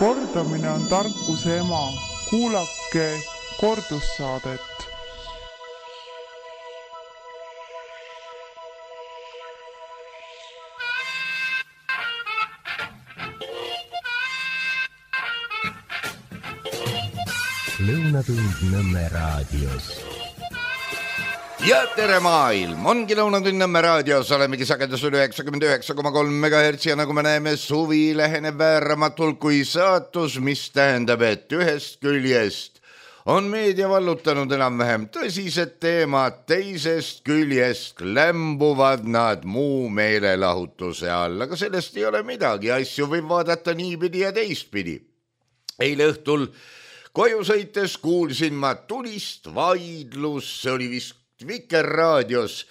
Kordamine on tarkuse ema. Kuulake kordussaadet. Lõunatund Nõmme raadios. Ja tere maailm, ongi Lõunatund Nõmme raadios, olemegi sagedusel 99,3 MHz ja nagu me näeme, suvi läheneb vääramatult kui saatus, mis tähendab, et ühest küljest on meedia vallutanud enam-vähem tõsised teemad, teisest küljest lämbuvad nad muu meelelahutuse all, aga sellest ei ole midagi, asju võib vaadata niipidi ja teistpidi. Eile õhtul koju sõites kuulsin ma tulist vaidlust, see oli vist Vikerraadios,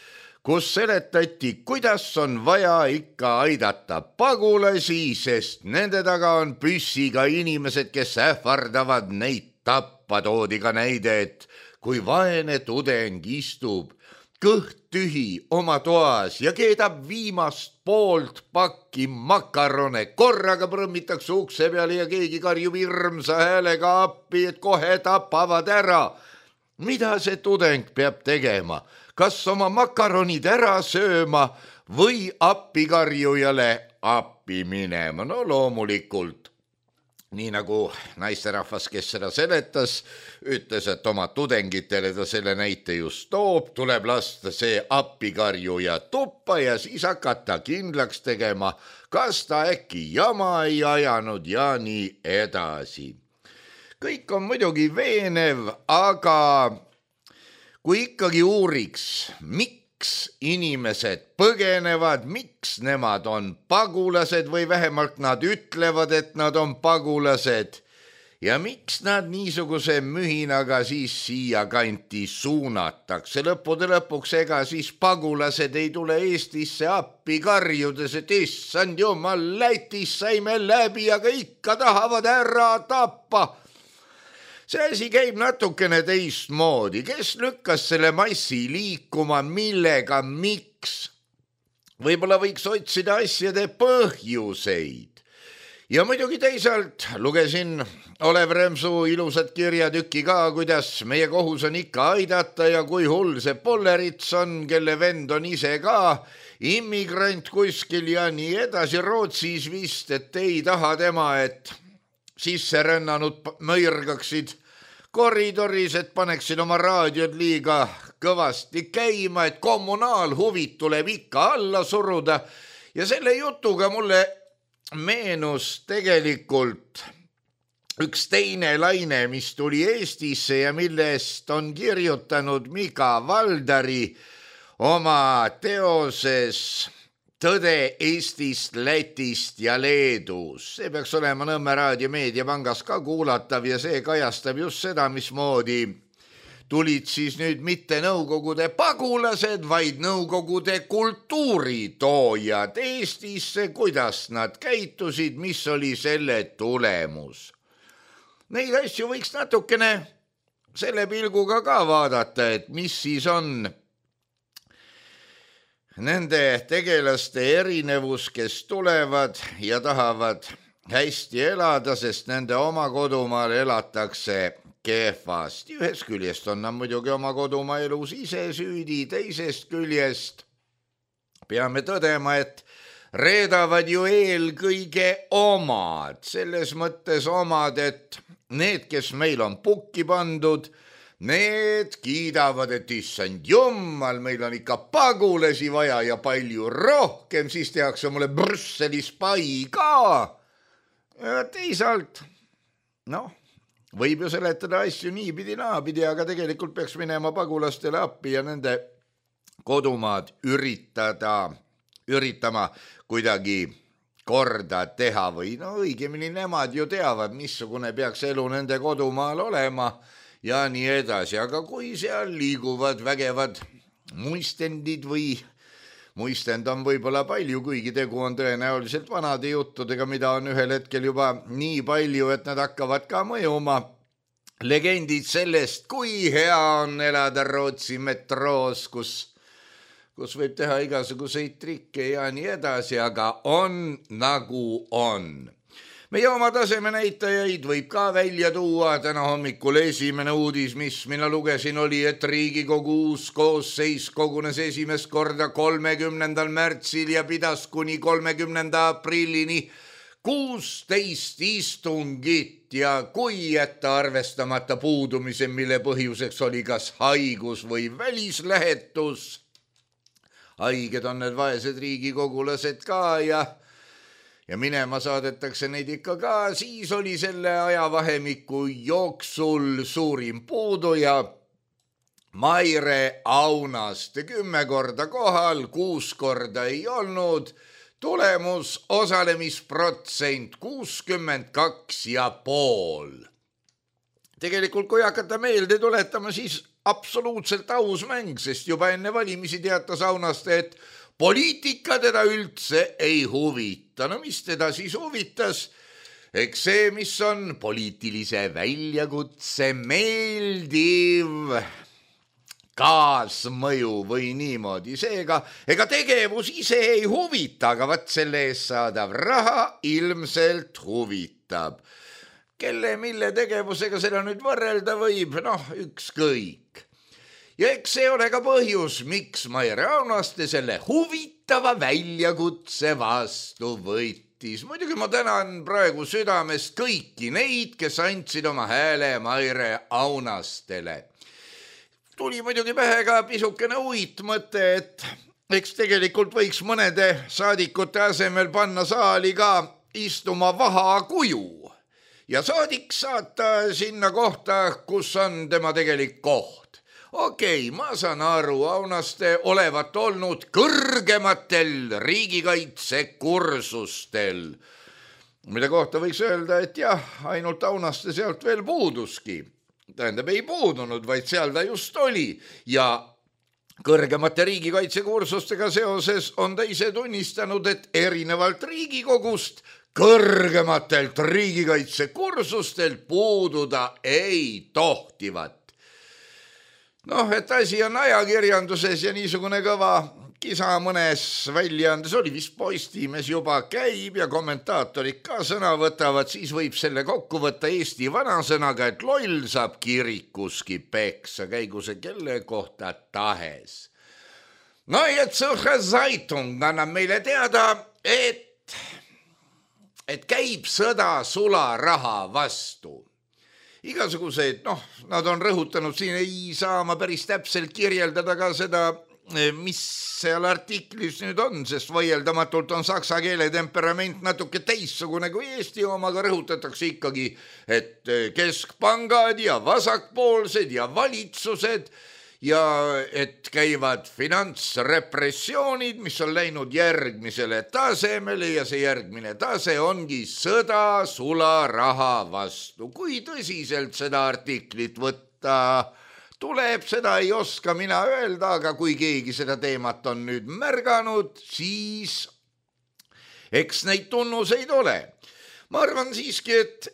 kus seletati, kuidas on vaja ikka aidata pagulasi, sest nende taga on püssiga inimesed, kes ähvardavad neid tappa. Toodi ka näide, et kui vaene tudeng istub kõht tühi oma toas ja keedab viimast poolt pakki makarone, korraga prõmmitakse ukse peale ja keegi karjub hirmsa häälega appi, et kohe tapavad ära. Mida see tudeng peab tegema? Kas oma makaronid ära sööma või appikarjujale appi minema? No loomulikult. Nii nagu naisterahvas, kes seda seletas, ütles, et oma tudengitele ta selle näite just toob, tuleb lasta see appikarjuja tuppa ja siis hakata kindlaks tegema, kas ta äkki jama ei ajanud ja nii edasi. Kõik on muidugi veenev, aga kui ikkagi uuriks, miks inimesed põgenevad, miks nemad on pagulased või vähemalt nad ütlevad, et nad on pagulased ja miks nad niisuguse mühinaga siis siia kanti suunatakse. Lõppude lõpuks ega siis pagulased ei tule Eestisse appi karjudes, et issand jumal, Lätis saime läbi, aga ikka tahavad ära tappa. See asi käib natukene teistmoodi. Kes lükkas selle massi liikuma, millega, miks? Võib-olla võiks otsida asjade põhjuseid. Ja muidugi teisalt lugesin Olev Remsu ilusat kirjatükki ka, kuidas meie kohus on ikka aidata ja kui hull see Pollerits on, kelle vend on ise ka immigrant kuskil ja nii edasi Rootsis vist, et ei taha tema, et sisse rännanud mõirgaksid koridoris, et paneksid oma raadiod liiga kõvasti käima, et kommunaalhuvid tuleb ikka alla suruda. Ja selle jutuga mulle meenus tegelikult üks teine laine, mis tuli Eestisse ja millest on kirjutanud Mika Valdari oma teoses Tõde Eestist, Lätist ja Leedus. See peaks olema Nõmme Raadio Meediapangas ka kuulatav ja see kajastab just seda, mismoodi tulid siis nüüd mitte Nõukogude pagulased, vaid Nõukogude kultuuritoojad Eestisse, kuidas nad käitusid, mis oli selle tulemus. Neid asju võiks natukene selle pilguga ka vaadata, et mis siis on nende tegelaste erinevus, kes tulevad ja tahavad hästi elada, sest nende oma kodumaal elatakse kehvasti. Ühest küljest on nad muidugi oma kodumaa elus ise süüdi, teisest küljest peame tõdema, et reedavad ju eelkõige omad. Selles mõttes omad, et need, kes meil on pukki pandud, need kiidavad, et issand jummal, meil on ikka pagulasi vaja ja palju rohkem, siis tehakse mulle Brüsselis pai ka. Ja teisalt, võib ju seletada asju niipidi naapidi, aga tegelikult peaks minema pagulastele appi ja nende kodumaad üritama kuidagi korda teha või õigemini nemad ju teavad, missugune peaks elu nende kodumaal olema ja nii edasi, aga kui seal liiguvad vägevad muistendid või muistend on võib-olla palju, kuigi tegu on tõenäoliselt vanade juttudega, mida on ühel hetkel juba nii palju, et nad hakkavad ka mõjuma. Legendid sellest, kui hea on elada Rootsi metroos, kus võib teha igasuguseid trikke ja nii edasi, aga on nagu on. Meie oma taseme näitajaid võib ka välja tuua. Täna hommikul esimene uudis, mis mina lugesin, oli, et Riigikogu uus koosseis kogunes esimest korda 30. märtsil ja pidas kuni 30. aprillini 16 istungit ja kui jätta arvestamata puudumise, mille põhjuseks oli kas haigus või välislähetus. Haiged on need vaesed riigikogulased ka ja minema saadetakse neid ikka ka, siis oli selle ajavahemiku jooksul suurim puudu ja Maire Aunaste 10 korda kohal, 6 korda ei olnud, tulemus osalemisprotsent 62,5. Tegelikult kui hakata meelde tuletama, siis absoluutselt aus mäng, sest juba enne valimisi teatas Aunaste, et poliitika teda üldse ei huvita. No mis teda siis huvitas? Eks see, mis on poliitilise väljakutse meeldiv kaasmõju või niimoodi. Seega, ega tegevus ise ei huvita, aga vaat selle eest saadav raha ilmselt huvitab. Kelle, mille tegevusega seda nüüd võrrelda võib? Ükskõik. Ja eks see ole ka põhjus, miks Maire Aunaste selle huvitava väljakutse vastu võttis. Muidugi ma tänan praegu südamest kõiki neid, kes andsid oma hääle Maire Aunastele. Tuli muidugi pähe ka pisukene uitmõte, et eks tegelikult võiks mõnede saadikute asemel panna saali ka istuma vahakuju ja saadik saata sinna kohta, kus on tema tegelik koht. Okei, ma saan aru, Aunaste olevat olnud kõrgematel riigikaitsekursustel, mille kohta võiks öelda, et jah, ainult Aunaste sealt veel puuduski. Tähendab, ei puudunud, vaid seal ta just oli ja kõrgemate riigikaitsekursustega seoses on ta ise tunnistanud, et erinevalt Riigikogust kõrgematelt riigikaitsekursustel puududa ei tohtivat. Et asi on ajakirjanduses ja niisugune kõva kisa mõnes väljaandes, oli vist Postimees juba käib ja kommentaatorid ka sõna võtavad, siis võib selle kokku võtta Eesti vanasõnaga, et loll saab kirikuski peksa, käigu see kelle kohta tahes. Ja Zürcher Zeitung annab meile teada, et käib sõda sularaha vastu. Igasugused, nad on rõhutanud, siin ei saa ma päris täpselt kirjeldada ka seda, mis seal artiklis nüüd on, sest vaieldamatult on saksa keele temperament natuke teissugune kui Eesti oma, aga rõhutatakse ikkagi, et keskpangad ja vasakpoolsed ja valitsused ja et käivad finantsrepressioonid, mis on läinud järgmisele tasemele ja see järgmine tase ongi sõda sularaha vastu. Kui tõsiselt seda artiklit võtta tuleb, seda ei oska mina öelda, aga kui keegi seda teemat on nüüd märganud, siis eks neid tunnuseid ole. Ma arvan siiski, et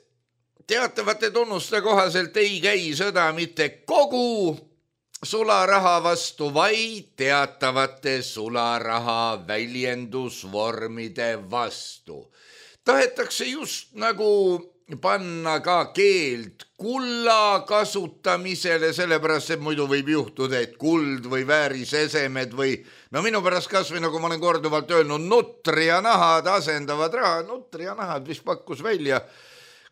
teatavate tunnuste kohaselt ei käi sõda mitte kogu sularaha vastu, vaid teatavate sularaha väljendusvormide vastu. Tahetakse just nagu panna ka keeld kulla kasutamisele, sellepärast, et muidu võib juhtuda, et kuld või väärisesemed või minu pärast kasvõi, nagu ma olen korduvalt öelnud, nutri ja nahad asendavad raha. Nutri ja nahad vist pakkus välja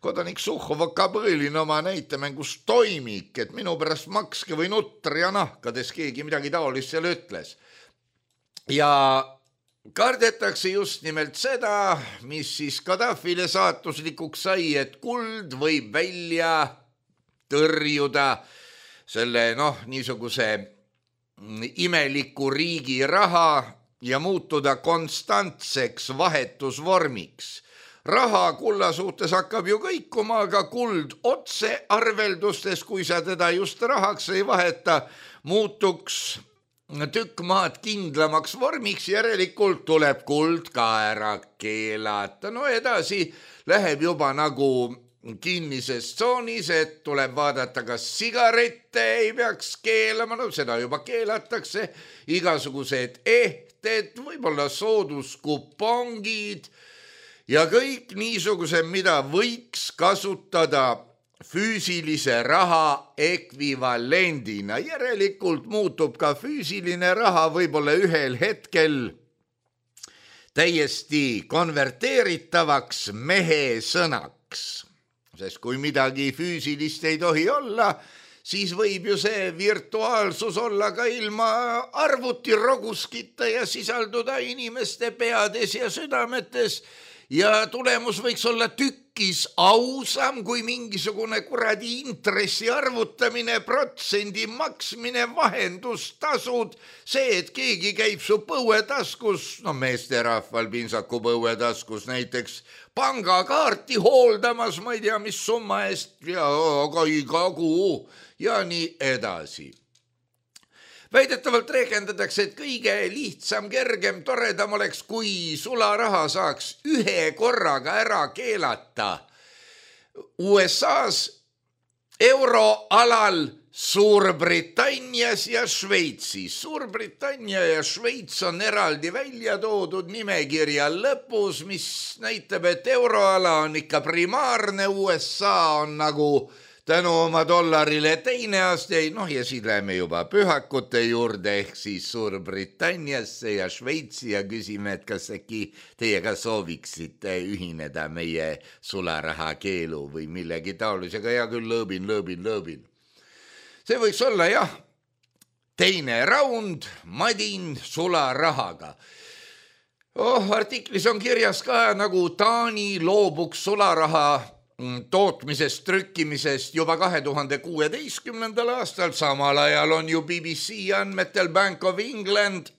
kodanik Suhhova Kabrõlin oma näitemängus Toimik, et minu pärast makske või nutri ja nahkades keegi midagi taolist seal ütles. Ja kardetakse just nimelt seda, mis siis Gaddafile saatuslikuks sai, et kuld võib välja tõrjuda selle niisuguse imeliku riigi raha ja muutuda konstantseks vahetusvormiks. Raha kulla suhtes hakkab ju kõikuma, aga kuld otse arveldustes, kui sa teda just rahaks ei vaheta, muutuks tükk maad kindlamaks vormiks, järelikult tuleb kuld ka ära keelata. Edasi läheb juba nagu kinnises tsoonis, et tuleb vaadata, kas sigarette ei peaks keelama, seda juba keelatakse, igasugused ehted, võib-olla sooduskupongid ja kõik niisuguse, mida võiks kasutada füüsilise raha ekvivalendina. Järelikult muutub ka füüsiline raha võib-olla ühel hetkel täiesti konverteeritavaks mehe sõnaks. Sest kui midagi füüsilist ei tohi olla, siis võib ju see virtuaalsus olla ka ilma arvutiroguskita ja sisalduda inimeste peades ja südametes. Ja tulemus võiks olla tükkis ausam kui mingisugune kuradi intressi arvutamine, protsendi maksmine, vahendustasud. See, et keegi käib su põuetaskus, meesterahval pintsaku põuetaskus näiteks, pangakaarti hooldamas, ma ei tea, mis summa eest ja iga kuu ja nii edasi. Väidetavalt rehkendatakse, et kõige lihtsam, kergem, toredam oleks, kui sularaha saaks ühe korraga ära keelata USA-s, euroalal, Suurbritannias ja Šveitsis. Suurbritannia ja Šveits on eraldi välja toodud nimekirja lõpus, mis näitab, et euroala on ikka primaarne, USA on nagu tänu oma dollarile teine aste, ja siis läheme juba pühakute juurde ehk siis Suurbritanniasse ja Šveitsi ja küsime, et kas äkki teie ka sooviksite ühineda meie sularaha keelu või millegi taolisega. Ja küll lõõbin. See võiks olla jah, teine raund madin sularahaga. Artiklis on kirjas ka, nagu Taani loobuks sularaha tootmisest, trükkimisest juba 2016. aastal. Samal ajal on ju BBC andmetel Bank of England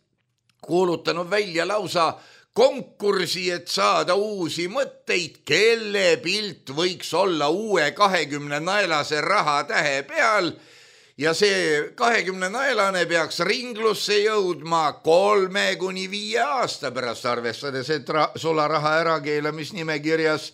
kuulutanud välja lausa konkursi, et saada uusi mõtteid, kelle pilt võiks olla uue 20 naelase rahatähe peal. Ja see 20 naelane peaks ringlusse jõudma 3-5 aasta pärast, arvestades, et sularaha ärakeelamisnimekirjas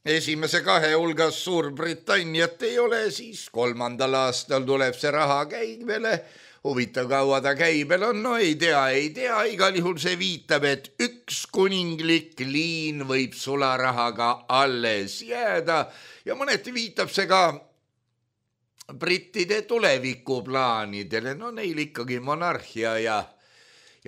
esimese 2 hulgas Suurbritanniat ei ole, siis 3. aastal tuleb see raha käibele. Huvitav, kaua ta käibel on, ei tea. Igal juhul see viitab, et üks kuninglik liin võib sularahaga alles jääda ja mõneti viitab see ka brittide tulevikuplaanidele. Neil ikkagi monarhia ja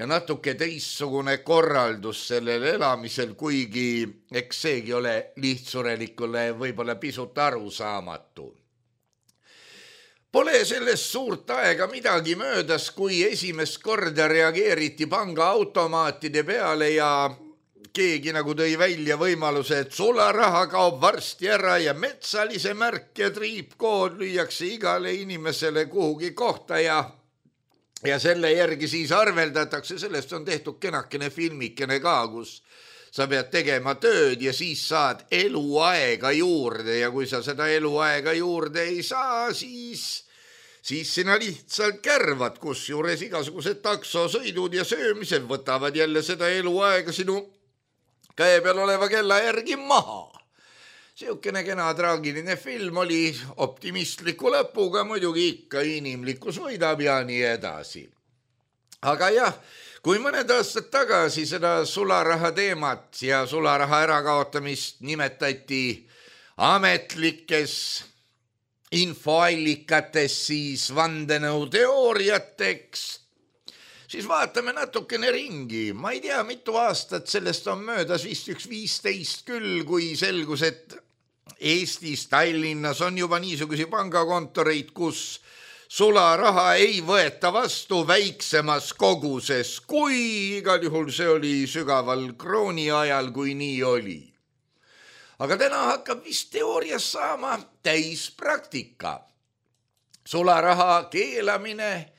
natuke teissugune korraldus sellel elamisel, kuigi eks seegi ole lihtsurelikule võib-olla pisut arusaamatu. Pole sellest suurt aega midagi möödas, kui esimest korda reageeriti pangaautomaatide peale ja keegi nagu tõi välja võimaluse, et sularaha kaob varsti ära ja metsalise märk ja triipkood lüüakse igale inimesele kuhugi kohta ja selle järgi siis arveldatakse. Sellest on tehtud kenakene filmikene ka, kus sa pead tegema tööd ja siis saad eluaega juurde ja kui sa seda eluaega juurde ei saa, siis sina lihtsalt kärvad, kusjuures igasugused taksosõidud ja söömised võtavad jälle seda eluaega sinu käe peal oleva kella järgi maha. Siukene kena traagiline film oli optimistliku lõpuga, muidugi ikka inimlikkus võidab ja nii edasi. Aga jah, kui mõned aastad tagasi seda sularaha teemat ja sularaha ärakaotamist nimetati ametlikes infoallikates siis vandenõuteooriateks, siis vaatame natukene ringi. Ma ei tea, mitu aastat sellest on möödas, vist 15 küll, kui selgus, et Eestis, Tallinnas on juba niisugusi pangakontoreid, kus sularaha ei võeta vastu väiksemas koguses, kui igal juhul see oli sügaval krooni ajal, kui nii oli. Aga täna hakkab vist teoorias saama täispraktika. Sularaha keelamine,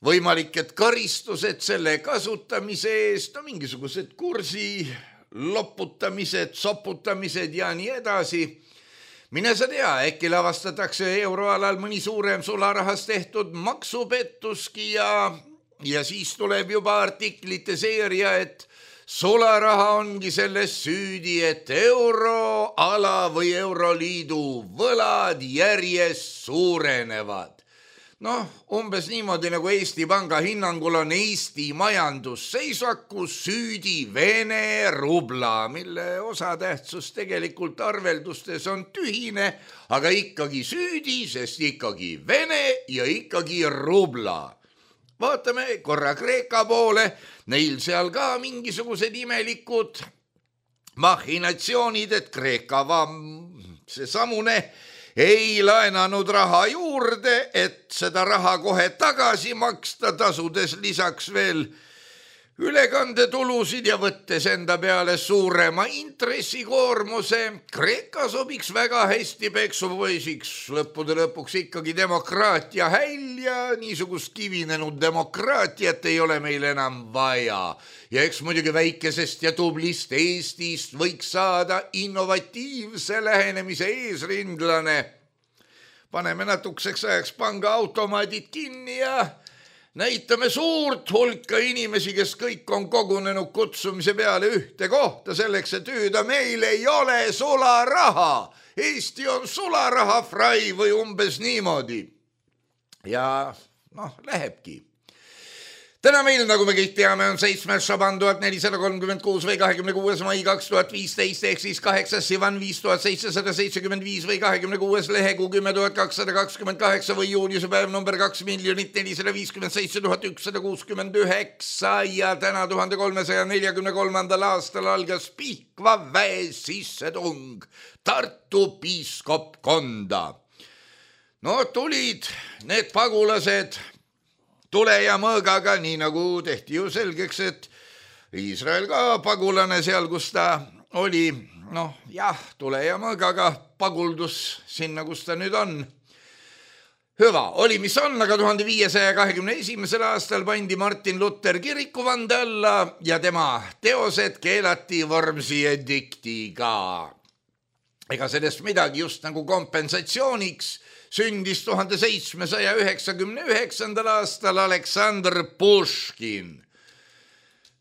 võimalik, et karistused selle kasutamise eest, mingisugused kursi loputamised, soputamised ja nii edasi. Mine sa tea, äkki lavastatakse euroalal mõni suurem sularahas tehtud maksupettuski ja siis tuleb juba artiklite seeria, et sularaha ongi selles süüdi, et euroala või euroliidu võlad järjest suurenevad. umbes niimoodi nagu Eesti Panga hinnangul on Eesti majandusseisakus süüdi Vene rubla, mille osatähtsus tegelikult arveldustes on tühine, aga ikkagi süüdi, sest ikkagi Vene ja ikkagi rubla. Vaatame korra Kreeka poole, neil seal ka mingisugused imelikud machinatsioonid, et Kreeka see samune ei laenanud raha juurde, et seda raha kohe tagasi maksta, tasudes lisaks veel ülekandetulusid ja võttes enda peale suurema intressikoormuse. Kreeka sobiks väga hästi peksupoisiks, lõppude lõpuks ikkagi demokraatia häll ja niisugust kivinenud demokraatiat ei ole meil enam vaja. Ja eks muidugi väikesest ja tublist Eestist võiks saada innovatiivse lähenemise eesrindlane. Paneme natukeseks ajaks panga automaadid kinni ja näitame suurt hulka inimesi, kes kõik on kogunenud kutsumise peale ühte kohta selleks, et hüüda, meil ei ole sularaha. Eesti on sularaha frai või umbes niimoodi. Ja lähebki. Täna meil, nagu me kõik teame, on 7. Šaban 1436 või 26. mai 2015 ehk siis 8. Sivan 5775 või 26. lehekuu 10.228 või juunisepäev number 2,457,169 ja täna 1343. aastal algas Pihkva väe sissetung Tartu piiskopkonda. Tulid need pagulased tule ja mõõgaga, nii nagu tehti ju selgeks, et Iisrael ka pagulane seal, kus ta oli, tule ja mõõgaga paguldus sinna, kus ta nüüd on. Hüva, oli mis on, aga 1521. aastal pandi Martin Luther kirikuvande alla ja tema teosed keelati Wormsi ediktiga. Ega sellest midagi, just nagu kompensatsiooniks sündis 1799. aastal Aleksandr Puškin.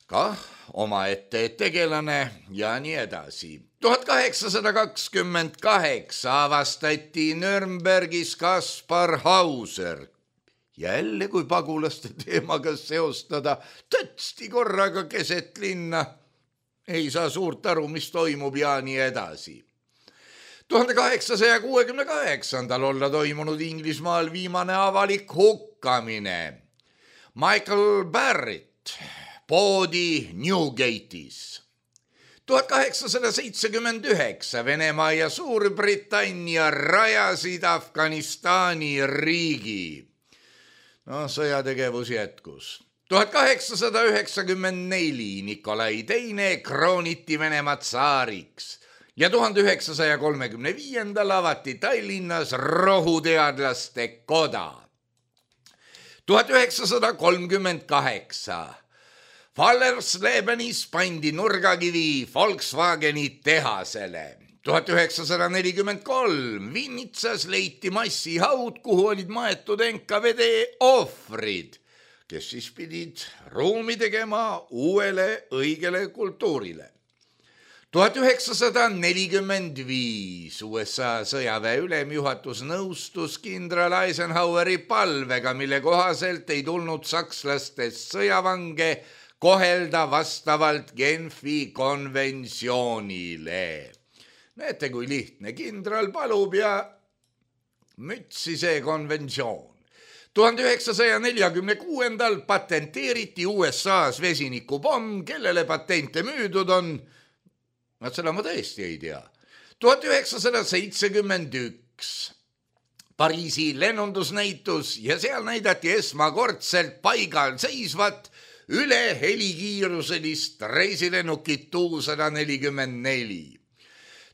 Kah omaette tegelane ja nii edasi. 1828 avastati Nürnbergis Kaspar Hauser. Jälle kui pagulaste teemaga seostada, tõtsti korraga keset linna. Ei saa suurt aru, mis toimub ja nii edasi. 1868. olla toimunud Inglismaal viimane avalik hukkamine. Michael Barrett poodi Newgate'is. 1879 Venemaa ja Suurbritannia rajasid Afganistani riigi. Sõjategevus jätkus. 1894 Nikolai II krooniti Venemaa tsaariks. Ja 1935. avati Tallinnas rohuteadlaste koda. 1938 Fallerslebenis pandi nurgakivi Volkswageni tehasele. 1943 Vinnitsas leiti massihaud, kuhu olid maetud NKVD ohvrid, kes siis pidid ruumi tegema uuele õigele kultuurile. 1945 USA sõjaväe ülemjuhatus nõustus kindral Eisenhoweri palvega, mille kohaselt ei tulnud sakslastest sõjavange kohelda vastavalt Genfi konventsioonile. Näete, kui lihtne, kindral palub ja mütsi see konventsioon. 1946. patenteeriti USA-s vesinikupomm, kellele patente müüdud on. Seda ma tõesti ei tea. 1971 Pariisi lennundusnäitus ja seal näidati esmakordselt paigal seisvat üle helikiiruselist reisilennukit Tu-144.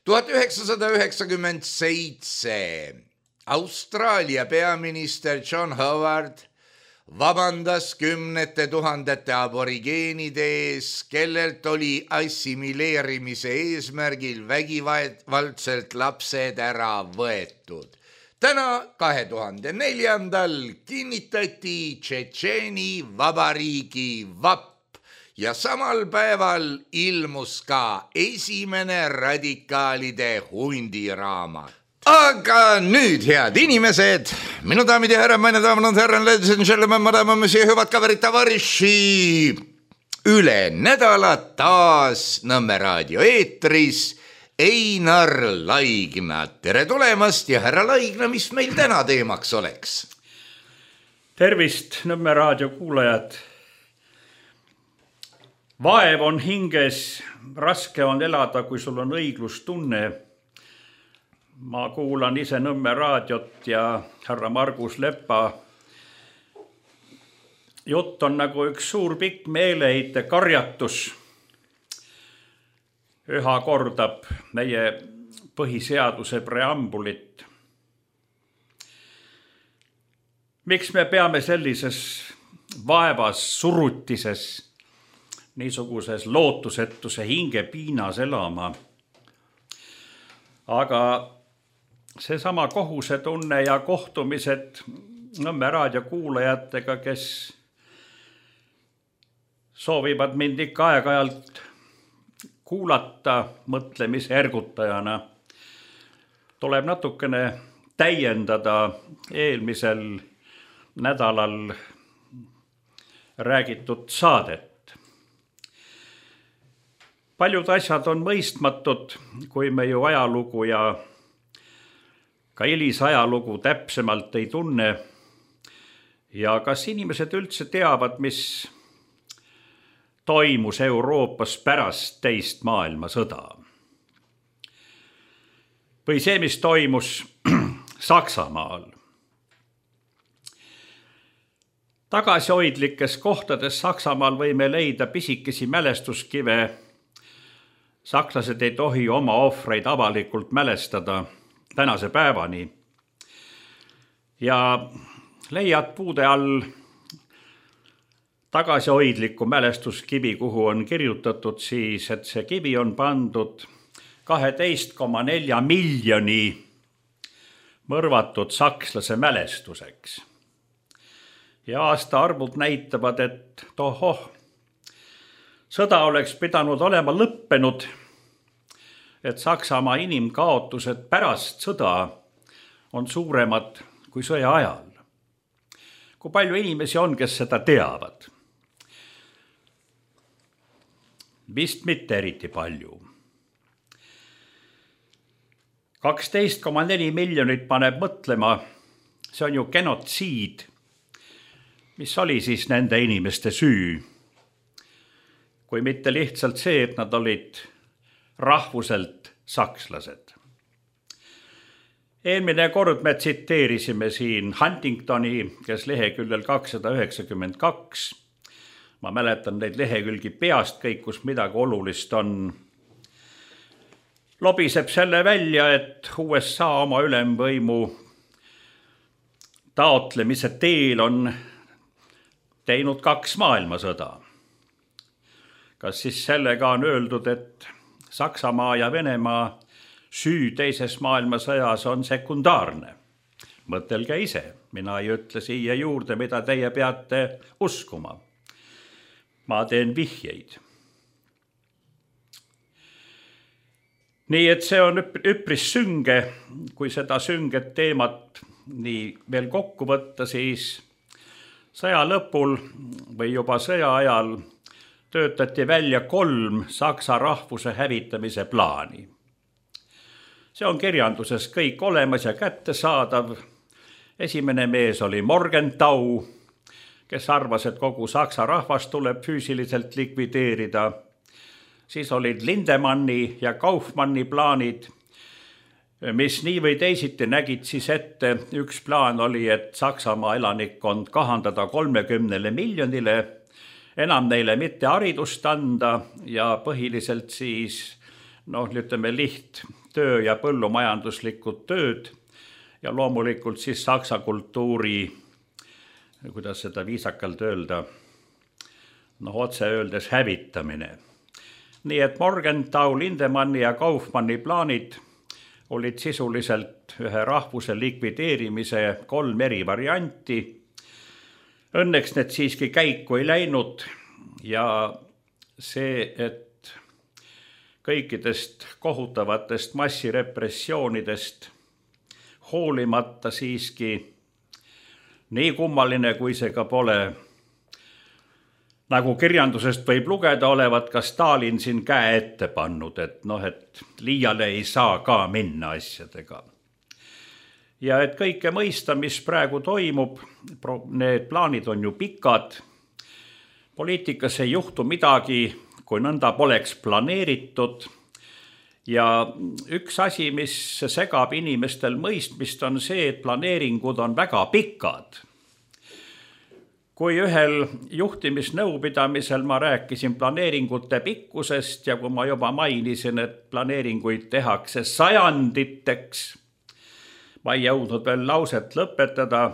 1997 Austraalia peaminister John Howard vabandas 10 000 aborigeenide ees, kellelt oli assimileerimise eesmärgil vägivaldselt lapsed ära võetud. Täna 2004. kinnitati Tšetšeeni vabariigi vapp ja samal päeval ilmus ka esimene radikaalide hundiraamat. Aga nüüd, head inimesed, minu daamid ja härrad, meine daamid ja härrad, ladies and gentlemen, madame, monsieur, hüvad kaverid, tavariši. Üle nädala taas Nõmme raadio eetris Einar Laigna. Tere tulemast ja härra Laigna, mis meil täna teemaks oleks? Tervist, Nõmme raadio kuulajad. Vaev on hinges, raske on elada, kui sul on õiglustunne. Ma kuulan ise Nõmme raadiot ja härra Margus Lepa. Jutt on nagu üks suur pikk meeleheite karjatus. Üha kordab meie põhiseaduse preambulit. Miks me peame sellises vaevas, surutises, niisuguses lootusetuse hingepiinas elama? Aga seesama kohusetunne ja kohtumised Nõmme raadio kuulajatega, kes soovivad mind ikka aeg-ajalt kuulata mõtlemise ergutajana, tuleb natukene täiendada eelmisel nädalal räägitud saadet. Paljud asjad on mõistmatud, kui me ju ajalugu ja ka hilisajalugu täpsemalt ei tunne. Ja kas inimesed üldse teavad, mis toimus Euroopas pärast teist maailmasõda? Või see, mis toimus Saksamaal? Tagasihoidlikes kohtades Saksamaal võime leida pisikesi mälestuskive. Sakslased ei tohi oma ohvreid avalikult mälestada tänase päevani. Ja leiad puude all tagasihoidliku mälestuskivi, kuhu on kirjutatud siis, et see kivi on pandud 12,4 miljoni mõrvatud sakslase mälestuseks. Ja aastaarvud näitavad, et sõda oleks pidanud olema lõppenud, et Saksamaa inimkaotused pärast sõda on suuremad kui sõja ajal. Kui palju inimesi on, kes seda teavad? Vist mitte eriti palju. 12,4 miljonit paneb mõtlema, see on ju genotsiid. Mis oli siis nende inimeste süü? Kui mitte lihtsalt see, et nad olid rahvuselt sakslased. Eelmine kord me tsiteerisime siin Huntingtoni, kes leheküljel 292. Ma mäletan neid lehekülgi peast kõik, kus midagi olulist on. Lobiseb selle välja, et USA oma ülemvõimu taotlemise teel on teinud 2 maailmasõda. Kas siis sellega on öeldud, et Saksamaa ja Venemaa süü teises maailmasõjas on sekundaarne? Mõtelge ise, mina ei ütle siia juurde, mida teie peate uskuma. Ma teen vihjeid. Nii et see on üpris sünge, kui seda sünget teemat nii veel kokku võtta, siis sõja lõpul või juba sõja ajal töötati välja 3 saksa rahvuse hävitamise plaani. See on kirjanduses kõik olemas ja kättesaadav. Esimene mees oli Morgenthau, kes arvas, et kogu saksa rahvas tuleb füüsiliselt likvideerida. Siis olid Lindemanni ja Kaufmanni plaanid, mis nii või teisiti nägid siis ette. Üks plaan oli, et Saksamaa elanikkond kahandada 30 miljonile, enam neile mitte haridust anda ja põhiliselt siis, ütleme töö ja põllumajanduslikud tööd ja loomulikult siis saksa kultuuri, kuidas seda viisakalt öelda, otse öeldes hävitamine. Nii et Morgenthau, Lindemanni ja Kaufmanni plaanid olid sisuliselt ühe rahvuse likvideerimise 3 eri varianti. Õnneks need siiski käiku ei läinud ja see, et kõikidest kohutavatest massirepressioonidest hoolimata siiski nii kummaline, kui see ka pole, nagu kirjandusest võib lugeda, olevat ka Stalin siin käe ette pannud, et et liiale ei saa ka minna asjadega. Ja et kõike mõista, mis praegu toimub, need plaanid on ju pikad, poliitikas ei juhtu midagi, kui nõnda poleks planeeritud. Ja üks asi, mis segab inimestel mõistmist, on see, et planeeringud on väga pikad. Kui ühel juhtimisnõupidamisel ma rääkisin planeeringute pikkusest ja kui ma juba mainisin, et planeeringuid tehakse sajanditeks, ma ei jõudnud veel lauset lõpetada,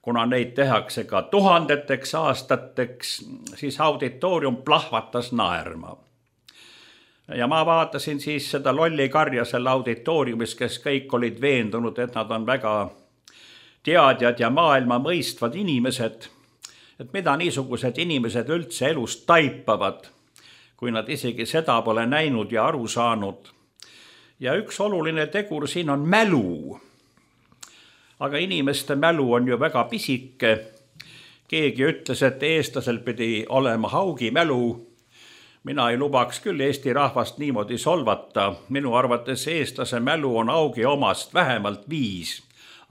kuna neid tehakse ka tuhandeteks aastateks, siis auditoorium plahvatas naerma. Ja ma vaatasin siis seda lolli karja seal auditooriumis, kes kõik olid veendunud, et nad on väga teadjad ja maailma mõistvad inimesed, et mida niisugused inimesed üldse elus taipavad, kui nad isegi seda pole näinud ja aru saanud. Ja üks oluline tegur siin on mälu. Aga inimeste mälu on ju väga pisike. Keegi ütles, et eestlasel pidi olema haugi mälu. Mina ei lubaks küll Eesti rahvast niimoodi solvata. Minu arvates eestlase mälu on augi omast vähemalt 5,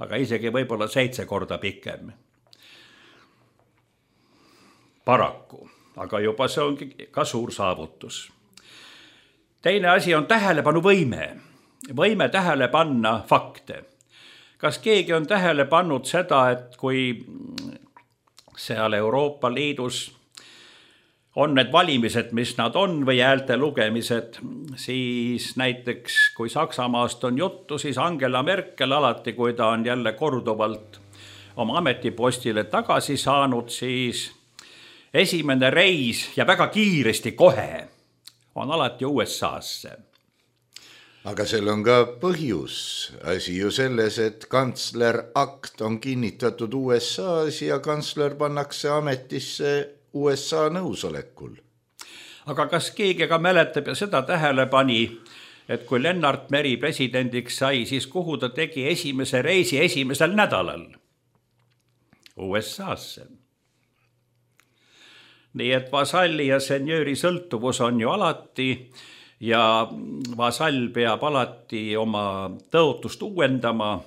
aga isegi võib-olla 7 korda pikem. Paraku, aga juba see ongi ka suur saavutus. Teine asi on tähelepanuvõime. Võime tähele panna fakte. Kas keegi on tähele pannud seda, et kui seal Euroopa Liidus on need valimised, mis nad on, või häälte lugemised, siis näiteks kui Saksamaast on juttu, siis Angela Merkel alati, kui ta on jälle korduvalt oma ametipostile tagasi saanud, siis esimene reis ja väga kiiresti kohe on alati USA-sse. Aga seal on ka põhjus. Asi ju selles, et kantsler akt on kinnitatud USA-s ja kantsler pannakse ametisse USA nõusolekul. Aga kas keegi ka mäletab ja seda tähele pani, et kui Lennart Meri presidendiks sai, siis kuhu ta tegi esimese reisi esimesel nädalal? USA-sse. Nii et vasalli ja senjööri sõltuvus on ju alati ja vasall peab alati oma tõotust uuendama.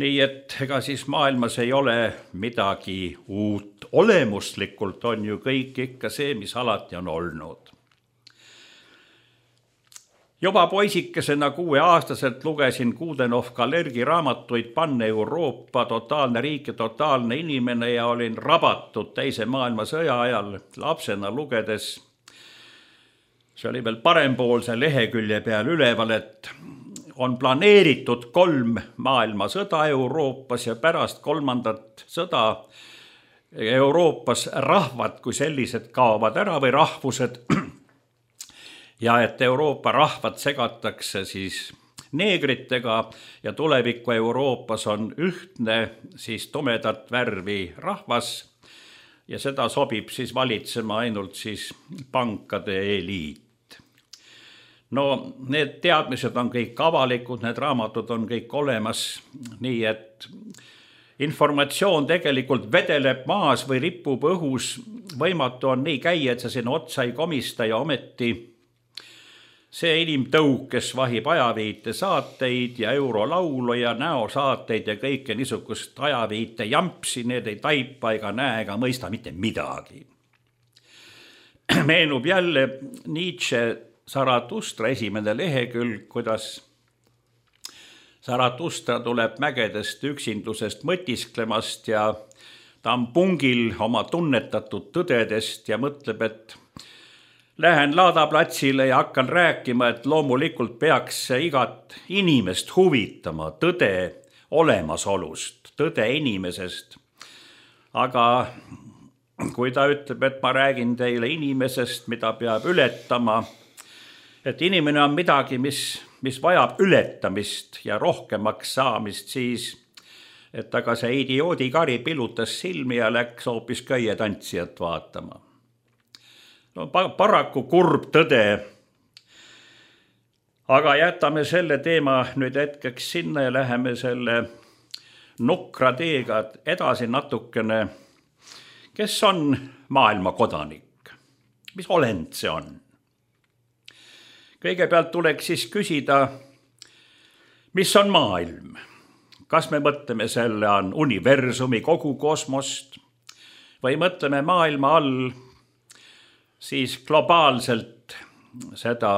Nii et ega siis maailmas ei ole midagi uut. Olemuslikult on ju kõik ikka see, mis alati on olnud. Juba poisikesena 6-aastaselt lugesin Kudenov-Kalergi raamatuid Pan-Euroopa, totaalne riik ja totaalne inimene ja olin rabatud teise maailmasõja ajal lapsena lugedes. See oli veel parempoolse lehekülje peal üleval, et on planeeritud 3 maailmasõda Euroopas ja pärast 3. sõda Euroopas rahvad kui sellised kaovad ära või rahvused ja et Euroopa rahvad segatakse siis neegritega ja tuleviku Euroopas on ühtne siis tumedat värvi rahvas ja seda sobib siis valitsema ainult siis pankade eliit. No need teadmised on kõik avalikud, need raamatud on kõik olemas, nii et informatsioon tegelikult vedeleb maas või ripub õhus, võimatu on nii käia, et sa sinna otsa ei komista ja ometi see inimtõug, kes vahib ajaviite saateid ja eurolaulu ja näosaateid ja kõike niisugust ajaviite jampsi, need ei taipa ega näe ega mõista mitte midagi. Meenub jälle Nietzsche Zarathustra esimene lehekülg, kuidas Zarathustra tuleb mägedest üksindusest mõtisklemast ja ta on pungil oma tunnetatud tõdedest ja mõtleb, et lähen laadaplatsile ja hakkan rääkima, et loomulikult peaks igat inimest huvitama tõde olemasolust, tõde inimesest. Aga kui ta ütleb, et ma räägin teile inimesest, mida peab ületama, et inimene on midagi, mis vajab ületamist ja rohkemaks saamist, siis et aga see idioodikari pilutas silmi ja läks hoopis köietantsijat vaatama. No, paraku kurb tõde. Aga jätame selle teema nüüd hetkeks sinna ja läheme selle nukra teega edasi natukene. Kes on maailma kodanik? Mis olend see on? Kõigepealt tuleks siis küsida, mis on maailm? Kas me mõtleme selle on universumi kogu kosmost või mõtleme maailma all siis globaalselt seda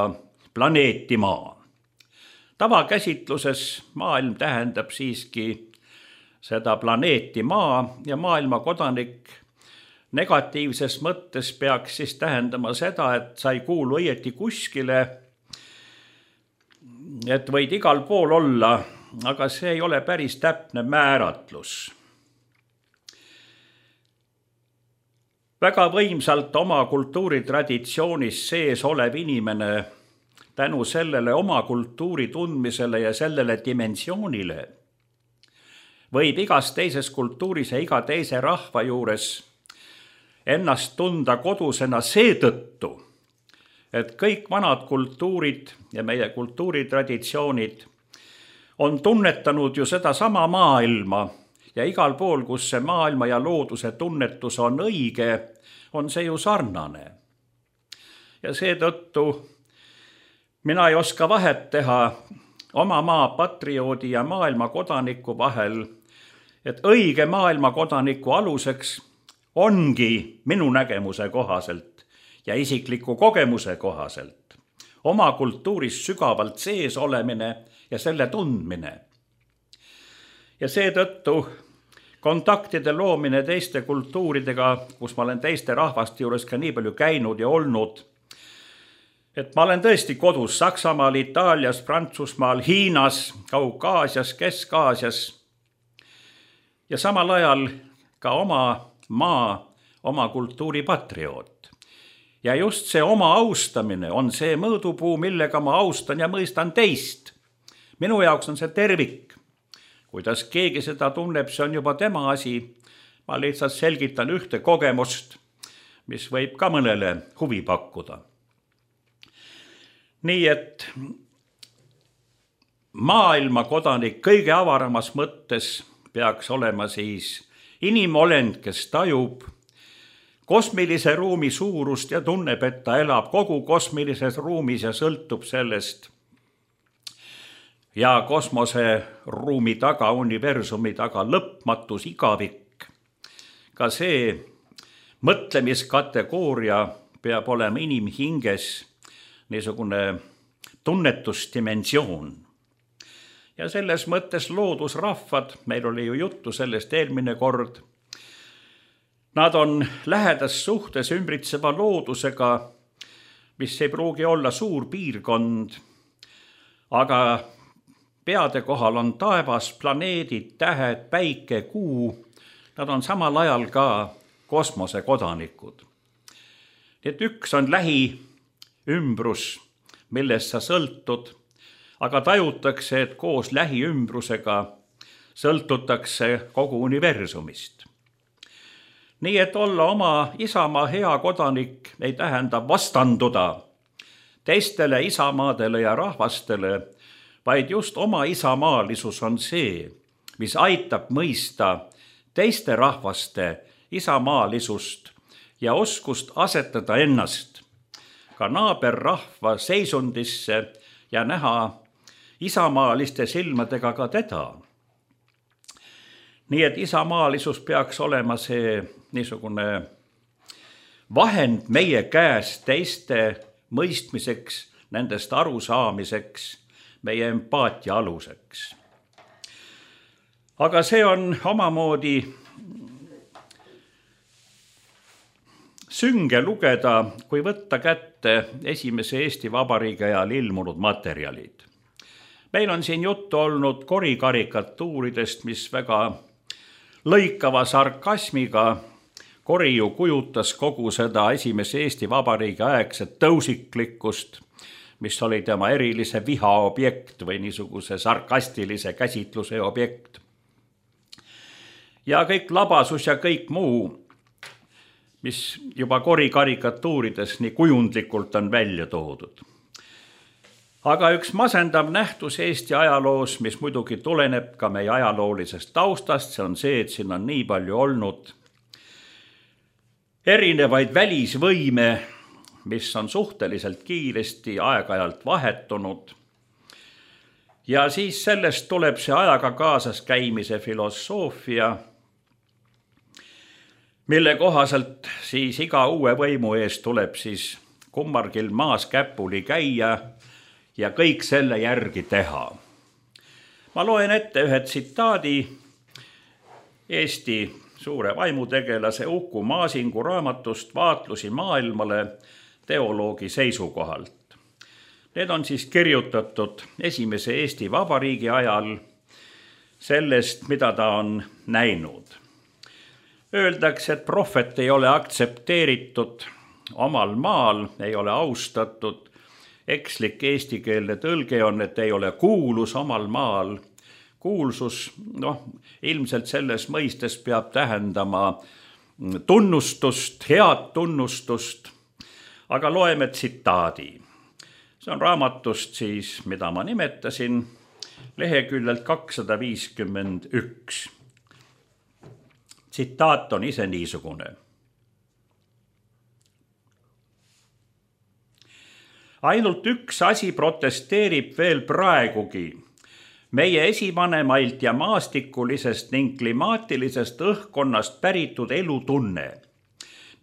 planeeti Maa? Tavakäsitluses maailm tähendab siiski seda planeeti Maa ja maailma kodanik negatiivses mõttes peaks siis tähendama seda, et sa ei kuulu õieti kuskile, et võid igal pool olla, aga see ei ole päris täpne määratlus. Väga võimsalt oma kultuuritraditsioonis sees olev inimene tänu sellele oma kultuuri tundmisele ja sellele dimensioonile võib igas teises kultuuris ja iga teise rahva juures ennast tunda kodusena seetõttu, et kõik vanad kultuurid ja meie kultuuritraditsioonid on tunnetanud ju seda sama maailma ja igal pool, kus see maailma ja looduse tunnetus on õige, on see ju sarnane. Ja seetõttu mina ei oska vahet teha oma maa patrioodi ja maailma kodaniku vahel, et õige maailma kodaniku aluseks ongi minu nägemuse kohaselt ja isikliku kogemuse kohaselt oma kultuuris sügavalt sees olemine ja selle tundmine. Ja seetõttu kontaktide loomine teiste kultuuridega, kus ma olen teiste rahvaste juures ka nii palju käinud ja olnud, et ma olen tõesti kodus Saksamaal, Itaalias, Prantsusmaal, Hiinas, Kaukaasias, Kesk-Aasias ja samal ajal ka oma maa, oma kultuuri patrioot. Ja just see oma austamine on see mõõdupuu, millega ma austan ja mõistan teist. Minu jaoks on see tervik. Kuidas keegi seda tunneb, see on juba tema asi. Ma lihtsalt selgitan ühte kogemust, mis võib ka mõnele huvi pakkuda. Nii et maailma kodanik kõige avaramas mõttes peaks olema siis inimolend, kes tajub kosmilise ruumi suurust ja tunneb, et ta elab kogu kosmilises ruumis ja sõltub sellest. Ja kosmoseruumi taga, universumi taga lõpmatus igavik. Ka see mõtlemiskategooria peab olema inimhinges niisugune tunnetusdimensioon. Ja selles mõttes loodusrahvad, meil oli ju juttu sellest eelmine kord, nad on lähedas suhtes ümbritseva loodusega, mis ei pruugi olla suur piirkond, aga peade kohal on taevas, planeedid, tähed, päike, kuu, nad on samal ajal ka kosmosekodanikud. Nii et üks on lähiümbrus, millest sa sõltud, aga tajutakse, et koos lähiümbrusega sõltutakse kogu universumist. Nii et olla oma isamaa hea kodanik ei tähenda vastanduda teistele isamaadele ja rahvastele, vaid just oma isamaalisus on see, mis aitab mõista teiste rahvaste isamaalisust ja oskust asetada ennast ka naaberrahva seisundisse ja näha isamaaliste silmadega ka teda. Nii et isamaalisus peaks olema see niisugune vahend meie käes teiste mõistmiseks, nendest arusaamiseks, meie empaatia aluseks. Aga see on omamoodi sünge lugeda, kui võtta kätte esimese Eesti Vabariigi ajal ilmunud materjalid. Meil on siin juttu olnud korikarikatuuridest, mis väga lõikava sarkasmiga kori ju kujutas kogu seda esimese Eesti Vabariigi aegset tõusiklikkust, mis oli tema erilise viha objekt või niisuguse sarkastilise käsitluse objekt. Ja kõik labasus ja kõik muu, mis juba korikarikatuurides nii kujundlikult on välja toodud. Aga üks masendav nähtus Eesti ajaloos, mis muidugi tuleneb ka meie ajaloolisest taustast, see on see, et siin on nii palju olnud erinevaid välisvõime, mis on suhteliselt kiiresti aeg-ajalt vahetunud. Ja siis sellest tuleb see ajaga kaasas käimise filosoofia, mille kohaselt siis iga uue võimu eest tuleb siis kummargil maas käpuli käia ja kõik selle järgi teha. Ma loen ette ühe tsitaadi Eesti suure vaimutegelase Uku Maasingu raamatust Vaatlusi maailmale teoloogi seisukohalt. Need on siis kirjutatud esimese Eesti Vabariigi ajal sellest, mida ta on näinud. Öeldakse, et prohvet ei ole aktsepteeritud omal maal, ei ole austatud. Ekslik eestikeelne tõlge on, et ei ole kuulus omal maal. Kuulsus, ilmselt selles mõistes peab tähendama tunnustust, head tunnustust. Aga loeme tsitaadi. See on raamatust siis, mida ma nimetasin, leheküljelt 251. Tsitaat on ise niisugune. Ainult üks asi protesteerib veel praegugi meie esivanemailt ja maastikulisest ning klimaatilisest õhkkonnast päritud elutunne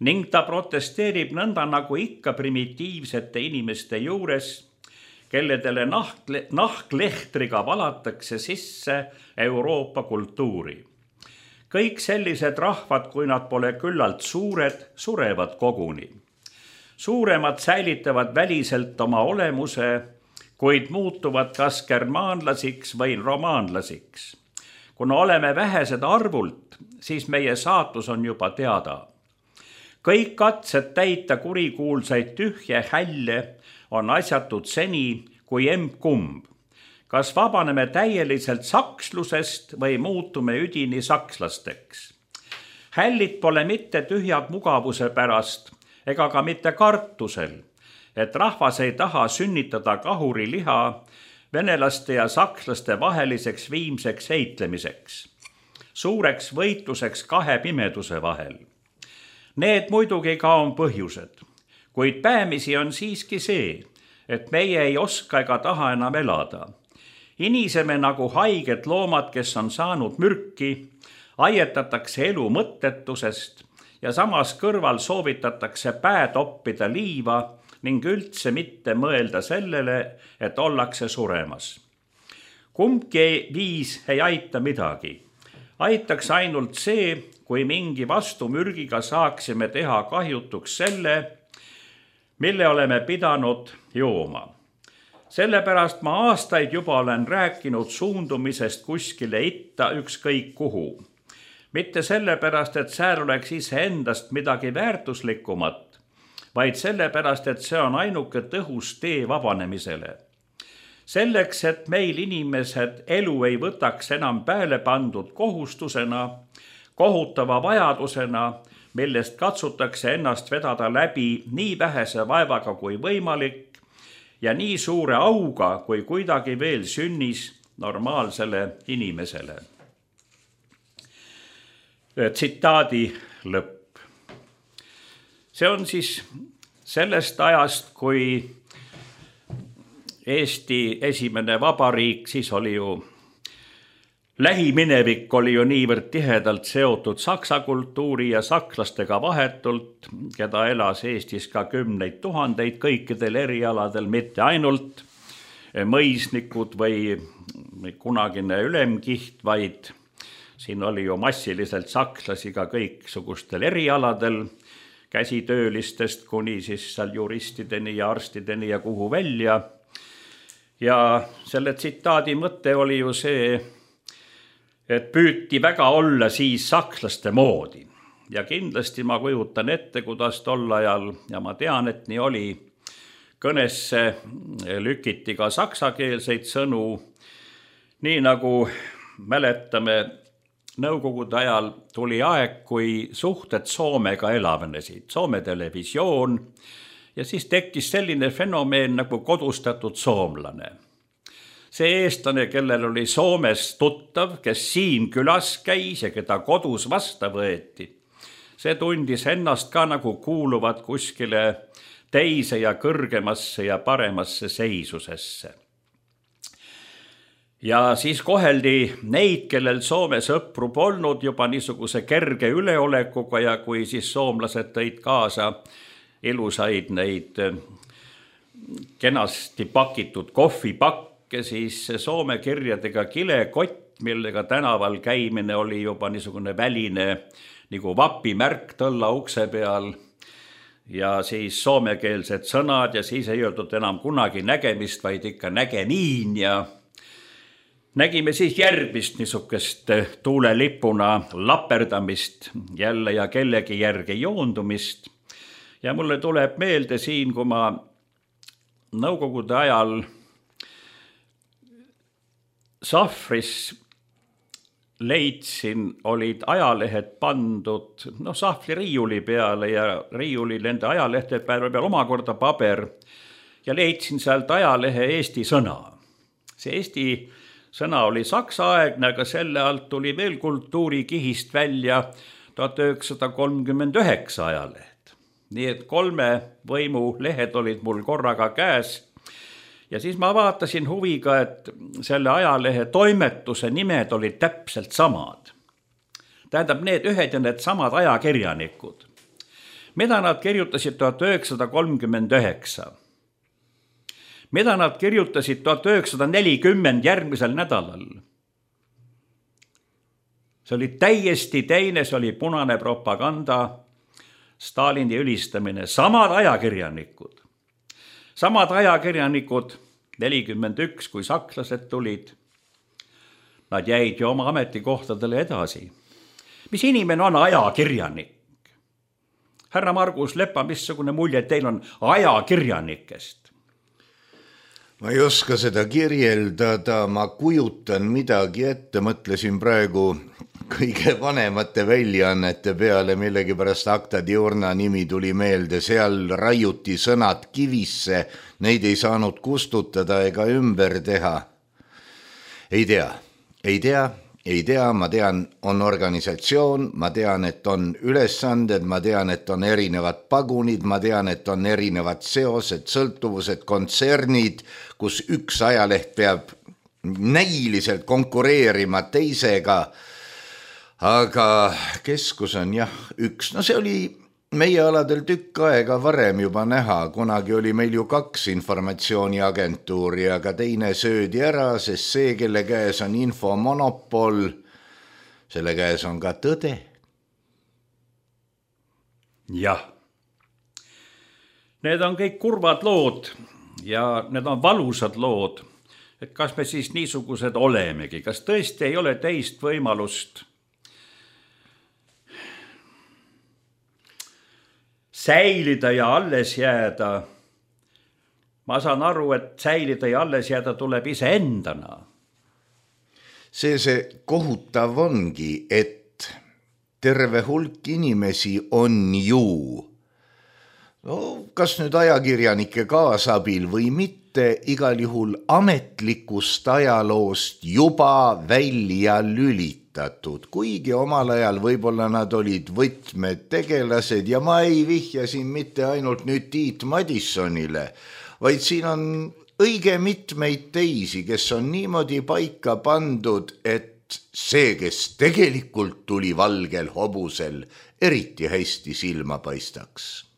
ning ta protesteerib nõnda nagu ikka primitiivsete inimeste juures, kelledele nahklehtriga valatakse sisse Euroopa kultuuri. Kõik sellised rahvad, kui nad pole küllalt suured, surevad koguni. Suuremad säilitavad väliselt oma olemuse, kuid muutuvad kas germaanlasiks või romaanlasiks. Kuna oleme vähesed arvult, siis meie saatus on juba teada. Kõik katsed täita kurikuulsaid tühje hälle on asjatud seni kui emb-kumb. Kas vabaneme täieliselt sakslusest või muutume üdini sakslasteks? Hällid pole mitte tühjad mugavuse pärast ega ka mitte kartusel, et rahvas ei taha sünnitada kahuriliha venelaste ja sakslaste vaheliseks viimseks heitlemiseks, suureks võitluseks kahe pimeduse vahel. Need muidugi ka on põhjused, kuid päämisi on siiski see, et meie ei oska ega taha enam elada. Iniseme nagu haiged loomad, kes on saanud mürki, aietatakse elu mõttetusest ja samas kõrval soovitatakse päe toppida liiva ning üldse mitte mõelda sellele, et ollakse suremas. Kumbki viis ei aita midagi. Aitaks ainult see, kui mingi vastumürgiga saaksime teha kahjutuks selle, mille oleme pidanud jooma. Sellepärast ma aastaid juba olen rääkinud suundumisest kuskile itta ükskõik kuhu. Mitte sellepärast, et seal oleks iseendast midagi väärtuslikumat, vaid sellepärast, et see on ainuke tõhus tee vabanemisele. Selleks, et meil inimesed elu ei võtaks enam pääle pandud kohustusena, kohutava vajadusena, millest katsutakse ennast vedada läbi nii vähese vaevaga kui võimalik ja nii suure auga, kui kuidagi veel sünnis normaalsele inimesele. Tsitaadi lõpp. See on siis sellest ajast, kui Eesti esimene vabariik, siis oli ju lähiminevik oli ju niivõrd tihedalt seotud saksa kultuuri ja sakslastega vahetult, keda elas Eestis ka kümneid tuhandeid kõikidel erialadel, mitte ainult mõisnikud või kunagine ülemkiht, vaid siin oli ju massiliselt sakslasi ka kõiksugustel erialadel, käsitöölistest kuni siis seal juristideni ja arstideni ja kuhu välja. Ja selle tsitaadi mõte oli ju see, et püüti väga olla siis sakslaste moodi. Ja kindlasti ma kujutan ette, kuidas tol ajal, ja ma tean, et nii oli, kõnesse lükiti ka saksakeelseid sõnu, nii nagu mäletame, Nõukogude ajal tuli aeg, kui suhted Soomega elavnesid, Soome televisioon Ja siis tekkis selline fenomeen nagu kodustatud soomlane. See eestlane, kellel oli Soomes tuttav, kes siin külas käis ja keda kodus vasta võeti, see tundis ennast ka nagu kuuluvat kuskile teise ja kõrgemasse ja paremasse seisusesse. Ja siis koheldi neid, kellel Soome sõpru polnud juba niisuguse kerge üleolekuga ja kui siis soomlased tõid kaasa ilusaid neid kenasti pakitud kohvipakke, siis Soome kirjadega kilekott, millega tänaval käimine oli juba niisugune väline nagu vapimärk tõlla ukse peal ja siis soomekeelsed sõnad ja siis ei öeldud enam kunagi nägemist, vaid ikka nägemiin ja nägime siis järgmist niisugust tuulelipuna laperdamist jälle ja kellegi järgi joondumist. Ja mulle tuleb meelde siin, kui ma nõukogude ajal Sahvris leidsin, olid ajalehed pandud Sahvli riiuli peale ja riiuli nende ajalehtede peal omakorda paber ja leidsin sealt ajalehe Eesti sõna. See Eesti sõna oli saksaaegne, aga selle alt tuli veel kultuurikihist välja 1939 ajaleht. Nii et 3 võimu lehed olid mul korraga käes ja siis ma vaatasin huviga, et selle ajalehe toimetuse nimed olid täpselt samad. Tähendab, need ühed ja need samad ajakirjanikud. Mida nad kirjutasid 1939? Mida nad kirjutasid 1940 järgmisel nädalal? See oli täiesti teine, see oli punane propaganda, Stalini ülistamine, samad ajakirjanikud. Samad ajakirjanikud, 41, kui sakslased tulid, nad jäid ju oma ametikohtadele edasi. Mis inimene on ajakirjanik? Härra Margus Lepa, missugune mulje teil on ajakirjanikest? Ma ei oska seda kirjeldada, ma kujutan midagi ette, mõtlesin praegu kõige vanemate väljaannete peale, millegipärast Acta Diurna nimi tuli meelde, seal raiuti sõnad kivisse, neid ei saanud kustutada ega ümber teha. Ei tea, ma tean, on organisatsioon, ma tean, et on ülesanded, ma tean, et on erinevad pagunid, ma tean, et on erinevad seosed, sõltuvused, kontsernid, kus üks ajaleht peab näiliselt konkureerima teisega, aga keskus on jah üks. See oli meie aladel tükk aega varem juba näha, kunagi oli meil ju 2 informatsiooniagentuuri, aga teine söödi ära, sest see, kelle käes on infomonopol, selle käes on ka tõde. Jah, need on kõik kurvad lood ja need on valusad lood, et kas me siis niisugused olemegi, kas tõesti ei ole teist võimalust säilida ja alles jääda. Ma saan aru, et säilida ja alles jääda tuleb iseendana. See kohutav ongi, et terve hulk inimesi on ju, kas nüüd ajakirjanike kaasabil või mitte, igal juhul ametlikust ajaloost juba välja lülitatud, kuigi omal ajal võib-olla nad olid võtmetegelased ja ma ei vihja siin mitte ainult nüüd Tiit Madissonile, vaid siin on õige mitmeid teisi, kes on niimoodi paika pandud, et see, kes tegelikult tuli valgel hobusel, eriti hästi silma paistaks.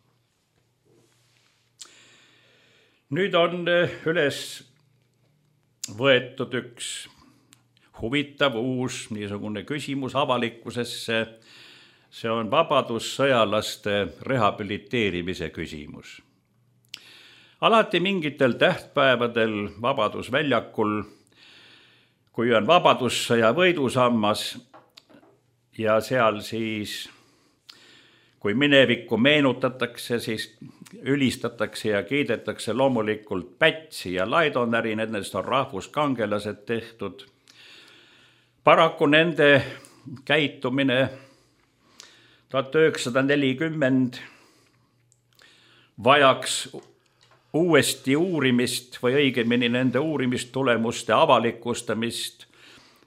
Nüüd on üles võetud üks huvitav uus niisugune küsimus avalikkusesse. See on vabadussõjalaste rehabiliteerimise küsimus. Alati mingitel tähtpäevadel Vabadusväljakul, kui on vabadussõja võidusammas ja seal siis, kui minevikku meenutatakse, siis ülistatakse ja kiidetakse loomulikult Pätsi ja Laidonäri, nendest on rahvuskangelased tehtud. Paraku nende käitumine 1940 vajaks uuesti uurimist või õigemini nende uurimistulemuste avalikustamist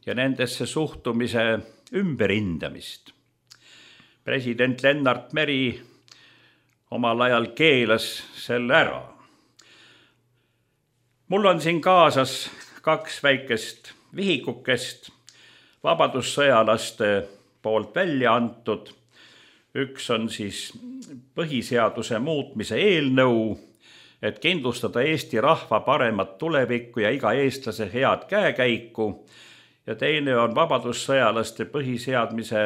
ja nendesse suhtumise ümberhindamist. President Lennart Meri omal ajal keelas selle ära. Mul on siin kaasas 2 väikest vihikukest vabadussõjalaste poolt välja antud. Üks on siis põhiseaduse muutmise eelnõu, et kindlustada Eesti rahva paremat tulevikku ja iga eestlase head käekäiku. Ja teine on vabadussõjalaste põhiseadmise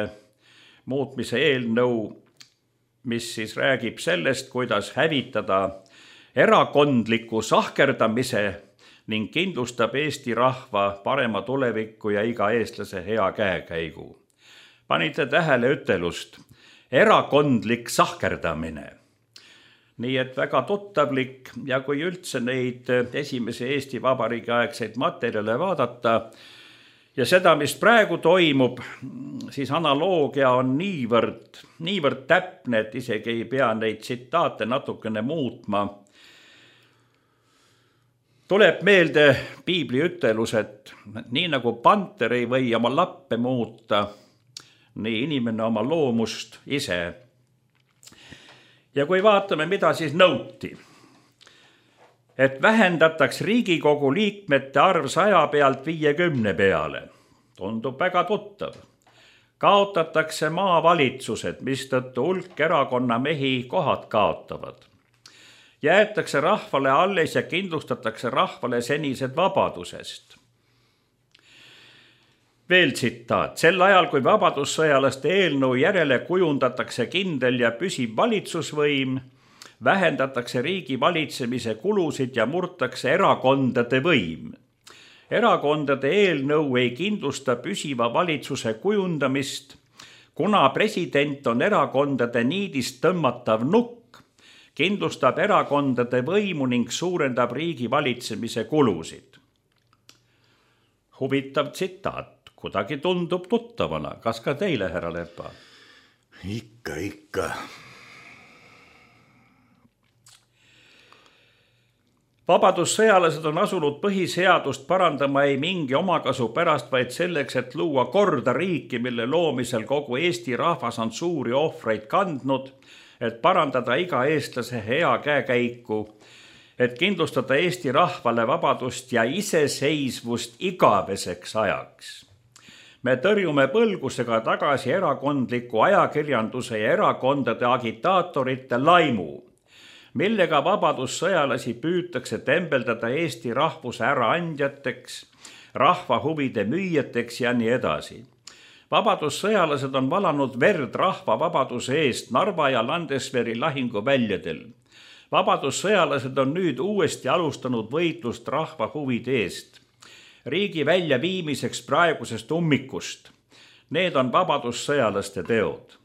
muutmise eelnõu, mis siis räägib sellest, kuidas hävitada erakondliku sahkerdamise ning kindlustab Eesti rahva parema tulevikku ja iga eestlase hea käekäigu. Panite tähele ütelust, erakondlik sahkerdamine. Nii et väga tuttavlik ja kui üldse neid esimese Eesti Vabariigi aegseid materjale vaadata ja seda, mis praegu toimub, siis analoogia on niivõrd täpne, et isegi ei pea neid tsitaate natukene muutma. Tuleb meelde piibli ütelus, et nii nagu panter ei või oma lappe muuta, nii inimene oma loomust ise. Ja kui vaatame, mida siis nõuti, et vähendataks Riigikogu liikmete arv 100 pealt 50 peale, tundub väga tuttav. Kaotatakse maavalitsused, mistõttu hulk erakonna mehi kohad kaotavad. Jäetakse rahvale alles ja kindlustatakse rahvale senised vabadusest. Veel tsitaat. Sel ajal, kui vabadussõjalaste eelnõu järele kujundatakse kindel ja püsiv valitsusvõim, vähendatakse riigi valitsemise kulusid ja murtakse erakondade võim. Erakondade eelnõu ei kindlusta püsiva valitsuse kujundamist, kuna president on erakondade niidist tõmmatav nukk, kindlustab erakondade võimu ning suurendab riigi valitsemise kulusid. Huvitav tsitaat. Kuidagi tundub tuttavana. Kas ka teile, härra Lepa? Ikka. Vabadussõjalased on asunud põhiseadust parandama ei mingi omakasu pärast, vaid selleks, et luua korda riiki, mille loomisel kogu Eesti rahvas on suuri ohvreid kandnud, et parandada iga eestlase hea käekäiku, et kindlustada Eesti rahvale vabadust ja iseseisvust igaveseks ajaks. Me tõrjume põlgusega tagasi erakondliku ajakirjanduse ja erakondade agitaatorite laimu, millega vabadussõjalasi püütakse tembeldada Eesti rahvuse äraandjateks, rahva huvide müüjateks ja nii edasi. Vabadussõjalased on valanud verd rahva vabaduse eest Narva ja Landesveri lahinguväljadel. Vabadussõjalased on nüüd uuesti alustanud võitlust rahva huvide eest. Riigi väljaviimiseks praegusest ummikust. Need on vabadussõjalaste teod.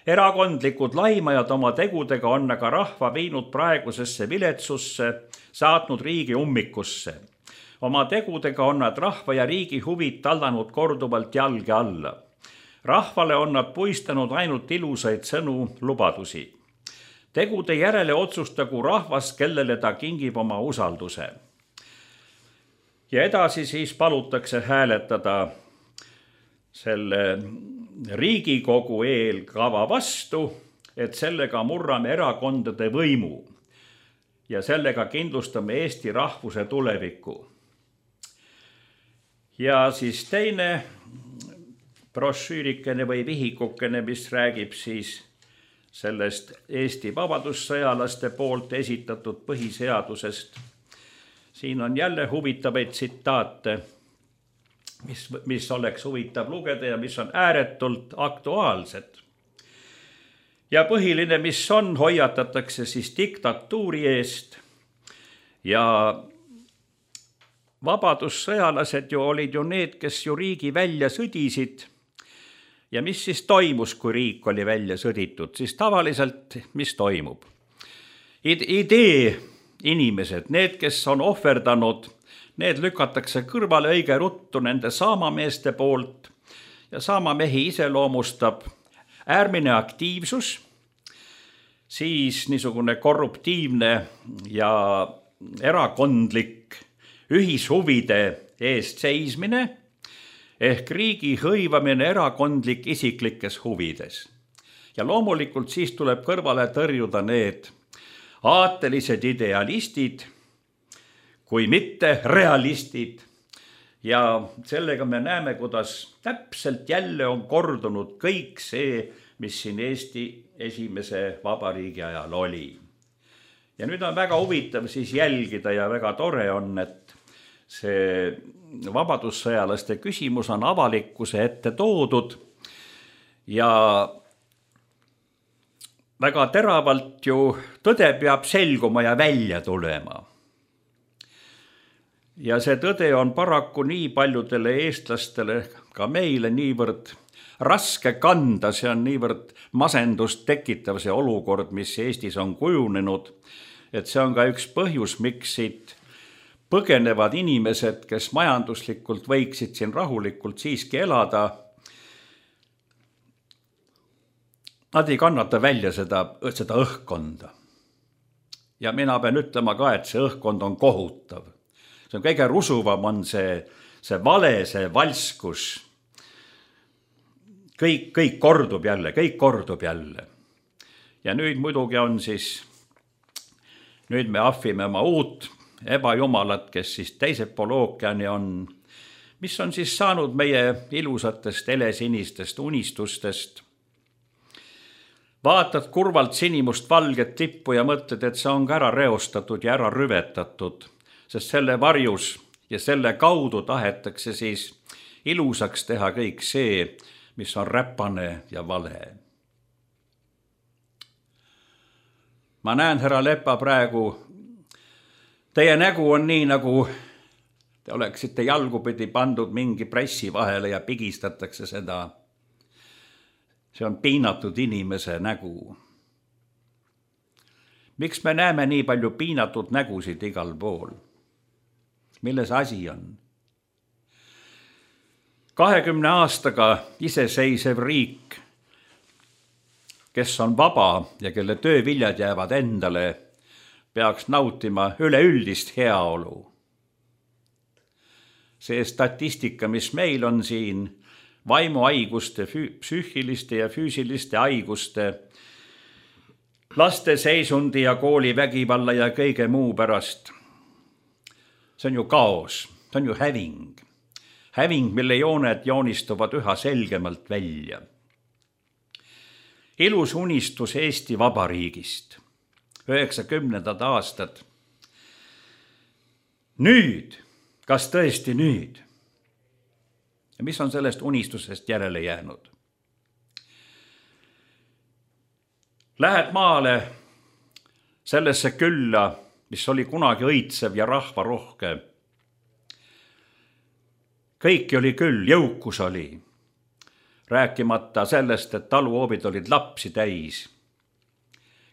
Erakondlikud laimajad oma tegudega on aga rahva viinud praegusesse viletsusse, saatnud riigi ummikusse. Oma tegudega on nad rahva ja riigi huvid tallanud korduvalt jalge alla. Rahvale on nad puistanud ainult ilusaid sõnu, lubadusi. Tegude järele otsustagu rahvas, kellele ta kingib oma usalduse. Ja edasi siis palutakse hääletada selle Riigikogu eelkava vastu, et sellega murrame erakondade võimu ja sellega kindlustame Eesti rahvuse tuleviku. Ja siis teine brošüürikene või vihikukene, mis räägib siis sellest Eesti vabadussõjalaste poolt esitatud põhiseadusest. Siin on jälle huvitavaid tsitaate, mis oleks huvitav lugeda ja mis on ääretult aktuaalsed. Ja põhiline, mis on, hoiatatakse siis diktatuuri eest ja vabadussõjalased ju olid ju need, kes ju riigi välja sõdisid. Ja mis siis toimus, kui riik oli välja sõditud? Siis tavaliselt, mis toimub? Idee inimesed, need, kes on ohverdanud, need lükatakse kõrvale õige ruttu nende saamameeste poolt ja saamamehi iseloomustab äärmine aktiivsus siis niisugune korruptiivne ja erakondlik ühishuvide eest seismine ehk riigi hõivamine erakondlik isiklikes huvides. Ja loomulikult siis tuleb kõrvale tõrjuda need aatelised idealistid, kui mitte realistid. Ja sellega me näeme, kuidas täpselt jälle on kordunud kõik see, mis siin Eesti esimese vabariigi ajal oli. Ja nüüd on väga huvitav siis jälgida ja väga tore on, et see vabadussõjalaste küsimus on avalikkuse ette toodud ja väga teravalt ju tõde peab selguma ja välja tulema. Ja see tõde on paraku nii paljudele eestlastele, ka meile niivõrd raske kanda, see on niivõrd masendust tekitav see olukord, mis Eestis on kujunenud, et see on ka üks põhjus, miks siit põgenevad inimesed, kes majanduslikult võiksid siin rahulikult siiski elada. Nad ei kannata välja seda õhkkonda. Ja mina pean ütlema ka, et see õhkkond on kohutav. See on kõige rusuvam on see vale, see valskus. Kõik kordub jälle. Ja nüüd muidugi on siis, nüüd me ahvime oma uut ebajumalat, kes siis teised pool ookeani on, mis on siis saanud meie ilusatest helesinistest unistustest. Vaatad kurvalt sinimust valget tippu ja mõtled, et see on ka ära reostatud ja ära rüvetatud, sest selle varjus ja selle kaudu tahetakse siis ilusaks teha kõik see, mis on räpane ja vale. Ma näen, härra Lepa, praegu teie nägu on nii, nagu te oleksite jalgupidi pandud mingi pressi vahele ja pigistatakse seda. See on piinatud inimese nägu. Miks me näeme nii palju piinatud nägusid igal pool? Milles asi on? 20 aastaga iseseisev riik, kes on vaba ja kelle tööviljad jäävad endale, peaks nautima üleüldist heaolu. See statistika, mis meil on siin, vaimuhaiguste, psüühiliste ja füüsiliste haiguste, laste seisundi ja koolivägivalla ja kõige muu pärast. See on ju kaos, see on ju häving. Häving, mille jooned joonistuvad üha selgemalt välja. Ilus unistus Eesti Vabariigist, 90. aastad. Nüüd, kas tõesti nüüd? Ja mis on sellest unistusest järele jäänud? Lähed maale sellesse külla, mis oli kunagi õitsev ja rahvarohke. Kõiki oli küll, jõukus oli. Rääkimata sellest, et taluhoobid olid lapsi täis.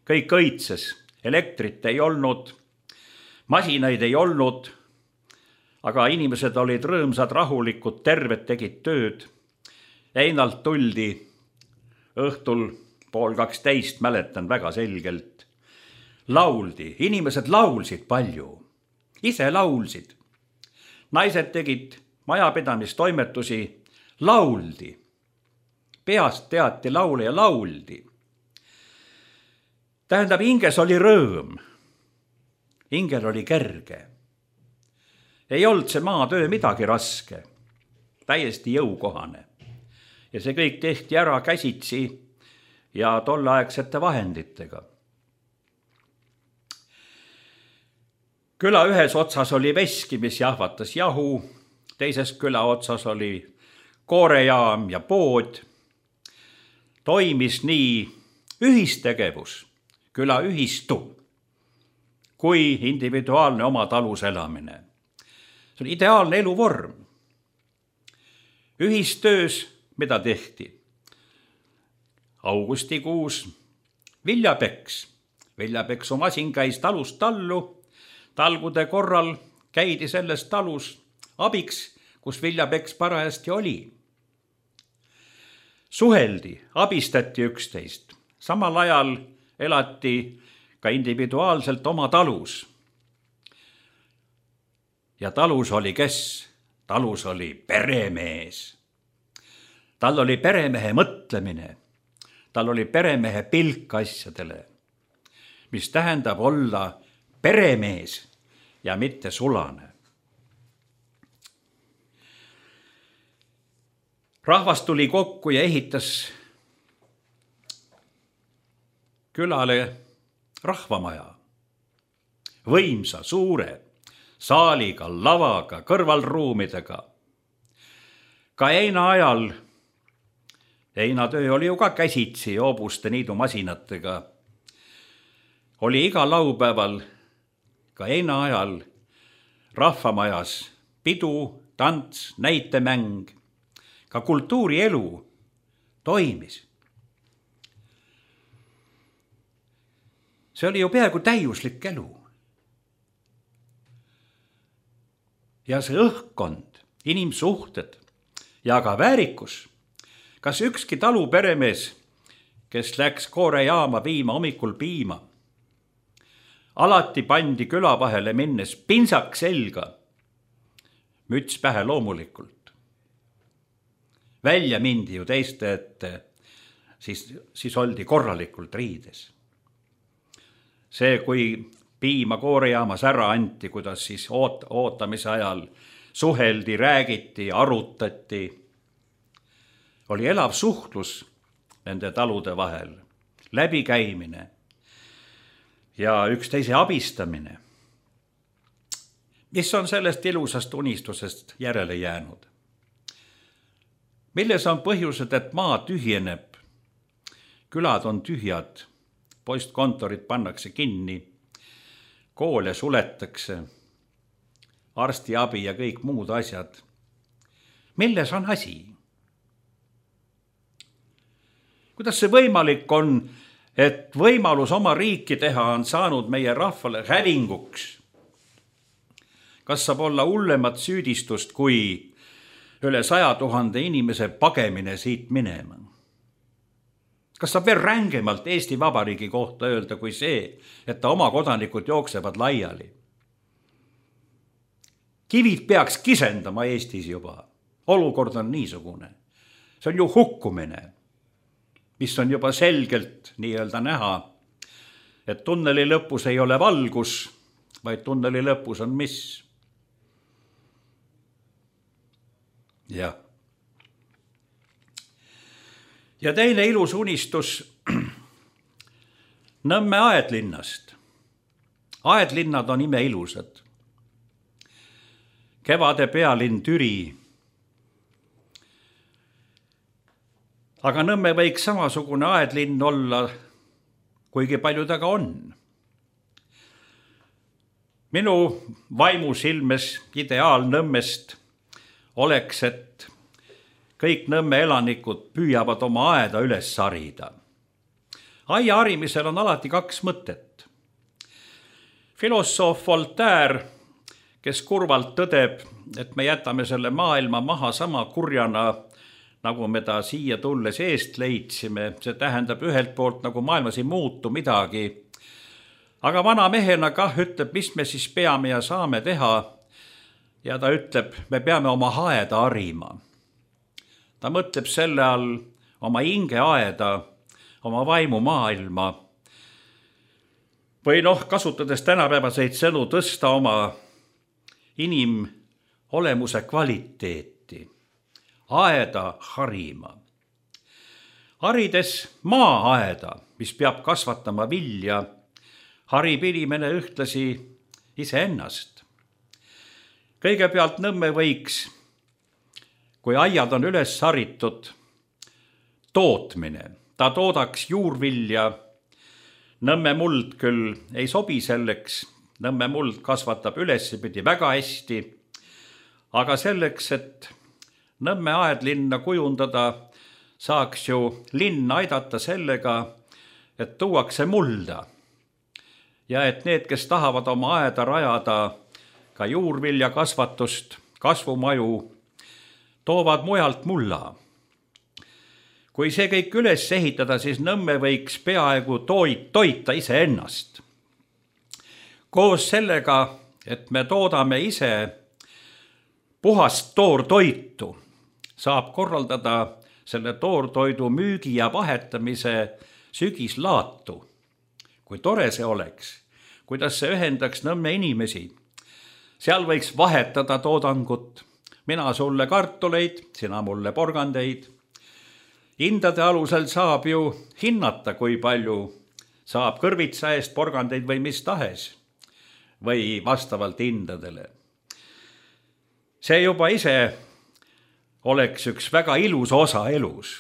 Kõik õitses, elektrit ei olnud, masinaid ei olnud, aga inimesed olid rõõmsad, rahulikud, terved, tegid tööd. Einalt tuldi õhtul 11:30, mäletan väga selgelt. Lauldi, inimesed laulsid palju, ise laulsid. Naised tegid majapidamistoimetusi, lauldi. Peast teati laule ja lauldi. Tähendab, hinges oli rõõm. Hingel oli kerge. Ei olnud see maatöö midagi raske, täiesti jõukohane. Ja see kõik tehti ära käsitsi ja tolleaegsete vahenditega. Küla ühes otsas oli veski, mis jahvatas jahu, teises küla otsas oli koorejaam ja pood. Toimis nii ühistegevus, küla ühistu, kui individuaalne oma talus elamine. See on ideaalne eluvorm. Ühistöös, mida tehti? Augustikuus viljapeks. Viljapeksu masin käis talust tallu. Talgude korral käidi selles talus abiks, kus viljapeks parajasti oli. Suheldi, abistati üksteist. Samal ajal elati ka individuaalselt oma talus. Ja talus oli kes? Talus oli peremees. Tal oli peremehe mõtlemine. Tal oli peremehe pilk asjadele, mis tähendab olla peremees ja mitte sulane. Rahvas tuli kokku ja ehitas külale rahvamaja. Võimsa, suure, saaliga, lavaga, kõrvalruumidega. Ka heinaajal, heinatöö oli ju ka käsitsi hoobuste niidu masinatega, oli iga laupäeval ka heinaajal rahvamajas pidu, tants, näitemäng, ka kultuurielu toimis. See oli ju peaaegu täiuslik elu. Ja see õhkkond, inimsuhted ja ka väärikus. Kas ükski taluperemees, kes läks koorejaama viima hommikul piima, alati pandi küla vahele minnes pinsak selga, müts pähe loomulikult. Välja mindi ju teiste ette, siis oldi korralikult riides. See, kui piima koorejaamas ära anti, kuidas siis ootamise ajal suheldi, räägiti, arutati, oli elav suhtlus nende talude vahel, läbikäimine ja üksteise abistamine. Mis on sellest ilusast unistusest järele jäänud? Milles on põhjused, et maa tühjeneb, külad on tühjad, postkontorid pannakse kinni, koole suletakse, arstiabi ja kõik muud asjad. Milles on asi? Kuidas see võimalik on, et võimalus oma riiki teha on saanud meie rahvale hävinguks? Kas saab olla hullemat süüdistust kui üle 100 000 inimese pagemine siit minema? Kas saab veel rängemalt Eesti Vabariigi kohta öelda kui see, et ta oma kodanikud jooksevad laiali? Kivid peaks kisendama Eestis juba. Olukord on niisugune. See on ju hukkumine, mis on juba selgelt nii-öelda näha, et tunneli lõpus ei ole valgus, vaid tunneli lõpus on mis? Jah. Ja teine ilus unistus Nõmme aedlinnast. Aedlinnad on imeilusad. Kevade pealinn Türi. Aga Nõmme võiks samasugune aedlinn olla, kuigi palju ta ka on. Minu vaimus ilmes ideaal Nõmmest oleks, et kõik Nõmme elanikud püüavad oma aeda üles harida. Aia harimisel on alati 2 mõtet. Filosoof Voltaire, kes kurvalt tõdeb, et me jätame selle maailma maha sama kurjana, nagu me ta siia tulles eest leidsime. See tähendab ühelt poolt, nagu maailmas ei muutu midagi. Aga vana mehena kah ütleb, mis me siis peame ja saame teha. Ja ta ütleb, me peame oma aeda harima. Ta mõtleb selle all oma hingeaeda, oma vaimu maailma. Või kasutades tänapäevaseid sõnu, tõsta oma inimolemuse kvaliteeti. Aeda harima. Harides maa-aeda, mis peab kasvatama vilja, harib inimene ühtlasi iseennast. Kõigepealt Nõmme võiks, kui aiad on üles haritud, tootmine. Ta toodaks juurvilja. Nõmme muld küll ei sobi selleks. Nõmme muld kasvatab ülesipidi väga hästi. Aga selleks, et Nõmme aedlinna kujundada, saaks ju linn aidata sellega, et tuuakse mulda. Ja et need, kes tahavad oma aeda rajada, ka juurvilja kasvatust, kasvumaju, toovad mujalt mulla. kui see kõik üles ehitada, siis Nõmme võiks peaaegu toita iseennast. Koos sellega, et me toodame ise puhast toortoitu, saab korraldada selle toortoidu müügi ja vahetamise sügislaatu. Kui tore see oleks, kuidas see ühendaks Nõmme inimesi. Seal võiks vahetada toodangut, mina sulle kartuleid, sina mulle porgandeid. Hindade alusel saab ju hinnata, kui palju saab kõrvitsa eest porgandeid või mis tahes või vastavalt hindadele. See juba ise oleks üks väga ilus osa elus.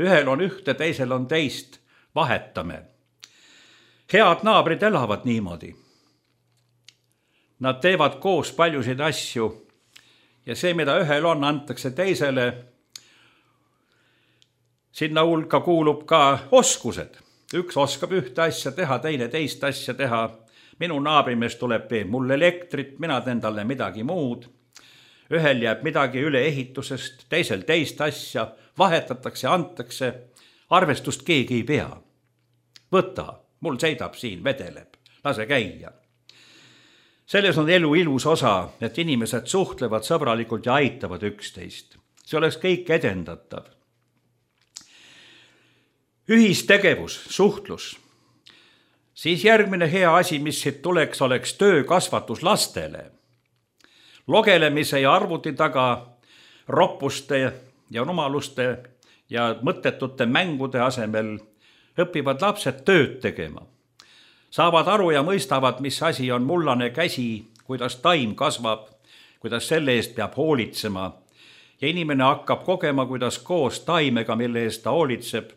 Ühel on ühte, teisel on teist, vahetame. Head naabrid elavad niimoodi. Nad teevad koos paljusid asju ja see, mida ühel on, antakse teisele. Sinna hulka kuulub ka oskused. Üks oskab ühte asja teha, teine teist asja teha. Minu naabrimees tuleb teeb mulle elektrit, mina teen talle midagi muud. Ühel jääb midagi üle ehitusest, teisel teist asja, vahetatakse, antakse. Arvestust keegi ei pea. Võta, mul seidab siin, vedeleb, lase käia. Selles on elu ilus osa, et inimesed suhtlevad sõbralikult ja aitavad üksteist. See oleks kõik edendatav. Ühistegevus, suhtlus. Siis järgmine hea asi, mis siit tuleks, oleks töökasvatus lastele. Logelemise ja arvuti taga roppuste ja rumaluste ja mõttetute mängude asemel õpivad lapsed tööd tegema. Saavad aru ja mõistavad, mis asi on mullane käsi, kuidas taim kasvab, kuidas selle eest peab hoolitsema. Ja inimene hakkab kogema, kuidas koos taimega, mille eest ta hoolitseb,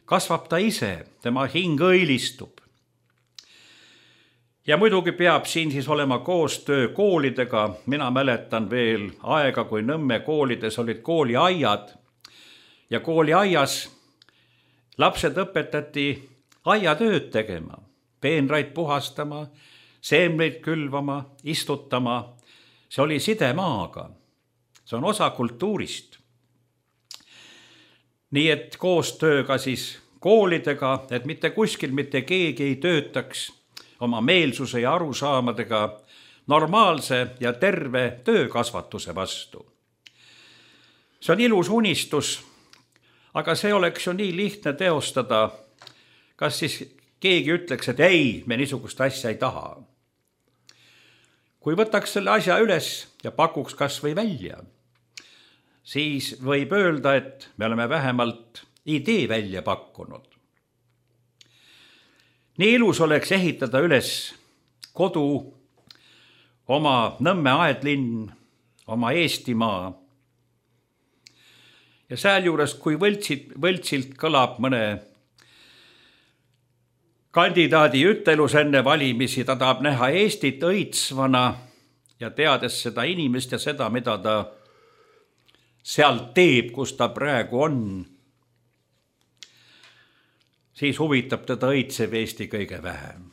kasvab ta ise, tema hing õilistub. Ja muidugi peab siin siis olema koostöö koolidega. Mina mäletan veel aega, kui Nõmme koolides olid kooliaiad ja kooliaias lapsed õpetati aiatööd tegema, peenraid puhastama, seemneid külvama, istutama. See oli side maaga. See on osa kultuurist. Nii et koostööga siis koolidega, et mitte kuskil mitte keegi ei töötaks oma meelsuse ja arusaamadega normaalse ja terve töökasvatuse vastu. See on ilus unistus, aga see oleks ju nii lihtne teostada. Kas siis keegi ütleks, et ei, me niisugust asja ei taha. Kui võtaks selle asja üles ja pakuks kas või välja, siis võib öelda, et me oleme vähemalt idee välja pakkunud. Nii ilus oleks ehitada üles kodu, oma Nõmme aedlinn, oma Eestimaa. Ja sealjuures, kui võltsilt kõlab mõne kandidaadi ütelus enne valimisi, ta tahab näha Eestit õitsvana ja teades seda inimest ja seda, mida ta seal teeb, kus ta praegu on, siis huvitab teda õitsev Eesti kõige vähem.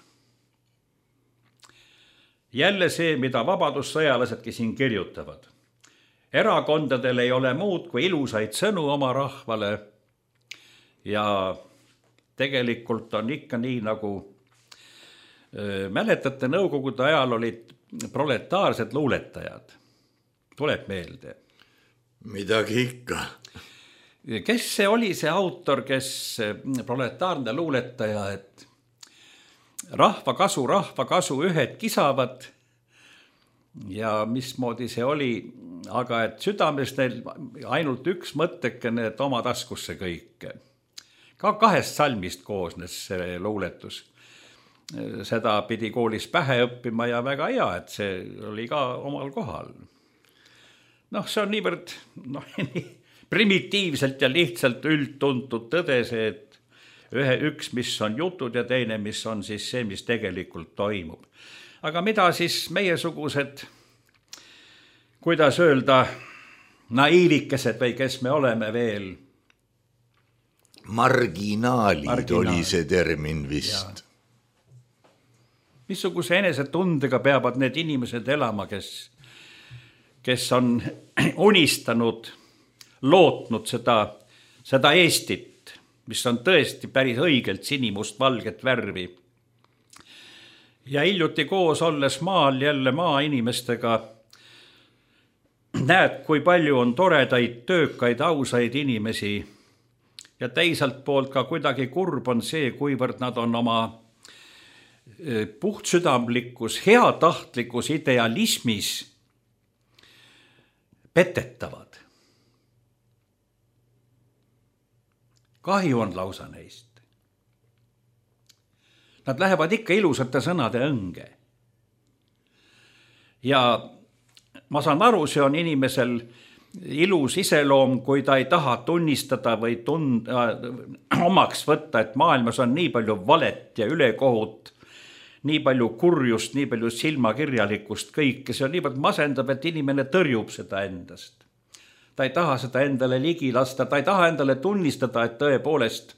Jälle see, mida vabadussõjalasedki siin kirjutavad. Erakondadel ei ole muud kui ilusaid sõnu oma rahvale ja tegelikult on ikka nii, nagu mäletate, nõukogude ajal olid proletaarsed luuletajad. Tuleb meelde. Midagi ikka. Kes see oli see autor, kes proletaarne luuletaja, et rahva kasu, ühed kisavad ja mismoodi see oli, aga et südames neil ainult üks mõttekene, et oma taskusse kõike. Ka 2 salmist koosnes see luuletus. Seda pidi koolis pähe õppima ja väga hea, et see oli ka omal kohal. See on niivõrd primitiivselt ja lihtsalt üldtuntud tõde see, et üks, mis on jutud ja teine, mis on siis see, mis tegelikult toimub. Aga mida siis meiesugused, kuidas öelda, naiivikesed või kes me oleme veel? Marginaalid oli see termin vist. Missuguse enesetundega peavad need inimesed elama, kes on unistanud, lootnud seda seda Eestit, mis on tõesti päris õigelt sinimust-valget värvi. Ja hiljuti koos olles maal jälle maainimestega näed, kui palju on toredaid, töökaid, ausaid inimesi ja teisalt poolt ka kuidagi kurb on see, kuivõrd nad on oma puhtsüdamlikus, heatahtlikus idealismis petetavad. Kahju on lausa neist. Nad lähevad ikka ilusate sõnade õnge. Ja ma saan aru, see on inimesel ilus iseloom, kui ta ei taha tunnistada või omaks võtta, et maailmas on nii palju valet ja ülekohut, nii palju kurjust, nii palju silmakirjalikkust, kõike. See on niivõrd masendab, et inimene tõrjub seda endast. Ta ei taha seda endale ligi lasta, ta ei taha endale tunnistada, et tõepoolest,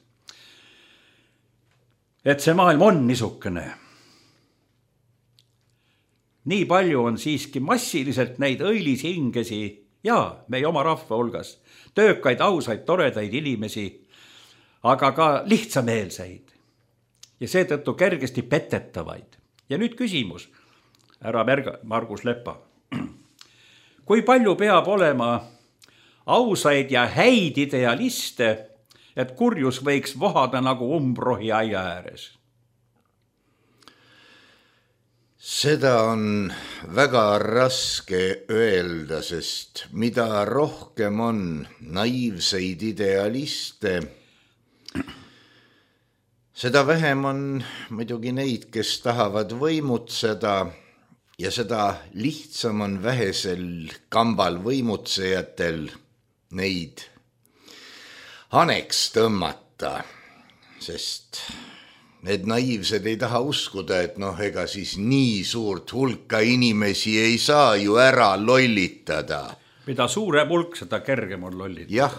et see maailm on niisugune. Nii palju on siiski massiliselt neid õilisi hingesi ja meie oma rahva hulgas, töökaid, ausaid, toredaid inimesi, aga ka lihtsameelseid ja seetõttu kergesti petetavaid. Ja nüüd küsimus, härra Margus Lepa. Kui palju peab olema ausaid ja häid idealiste, et kurjus võiks vohada nagu umbrohi aia ääres? Seda on väga raske öelda, sest mida rohkem on naiivseid idealiste, seda vähem on muidugi neid, kes tahavad võimutseda ja seda lihtsam on vähesel kambal võimutsejatel neid haneks tõmmata, sest need naiivsed ei taha uskuda, et ega siis nii suurt hulka inimesi ei saa ju ära lollitada. Mida suurem hulk, seda kergem on lollitada. Jah.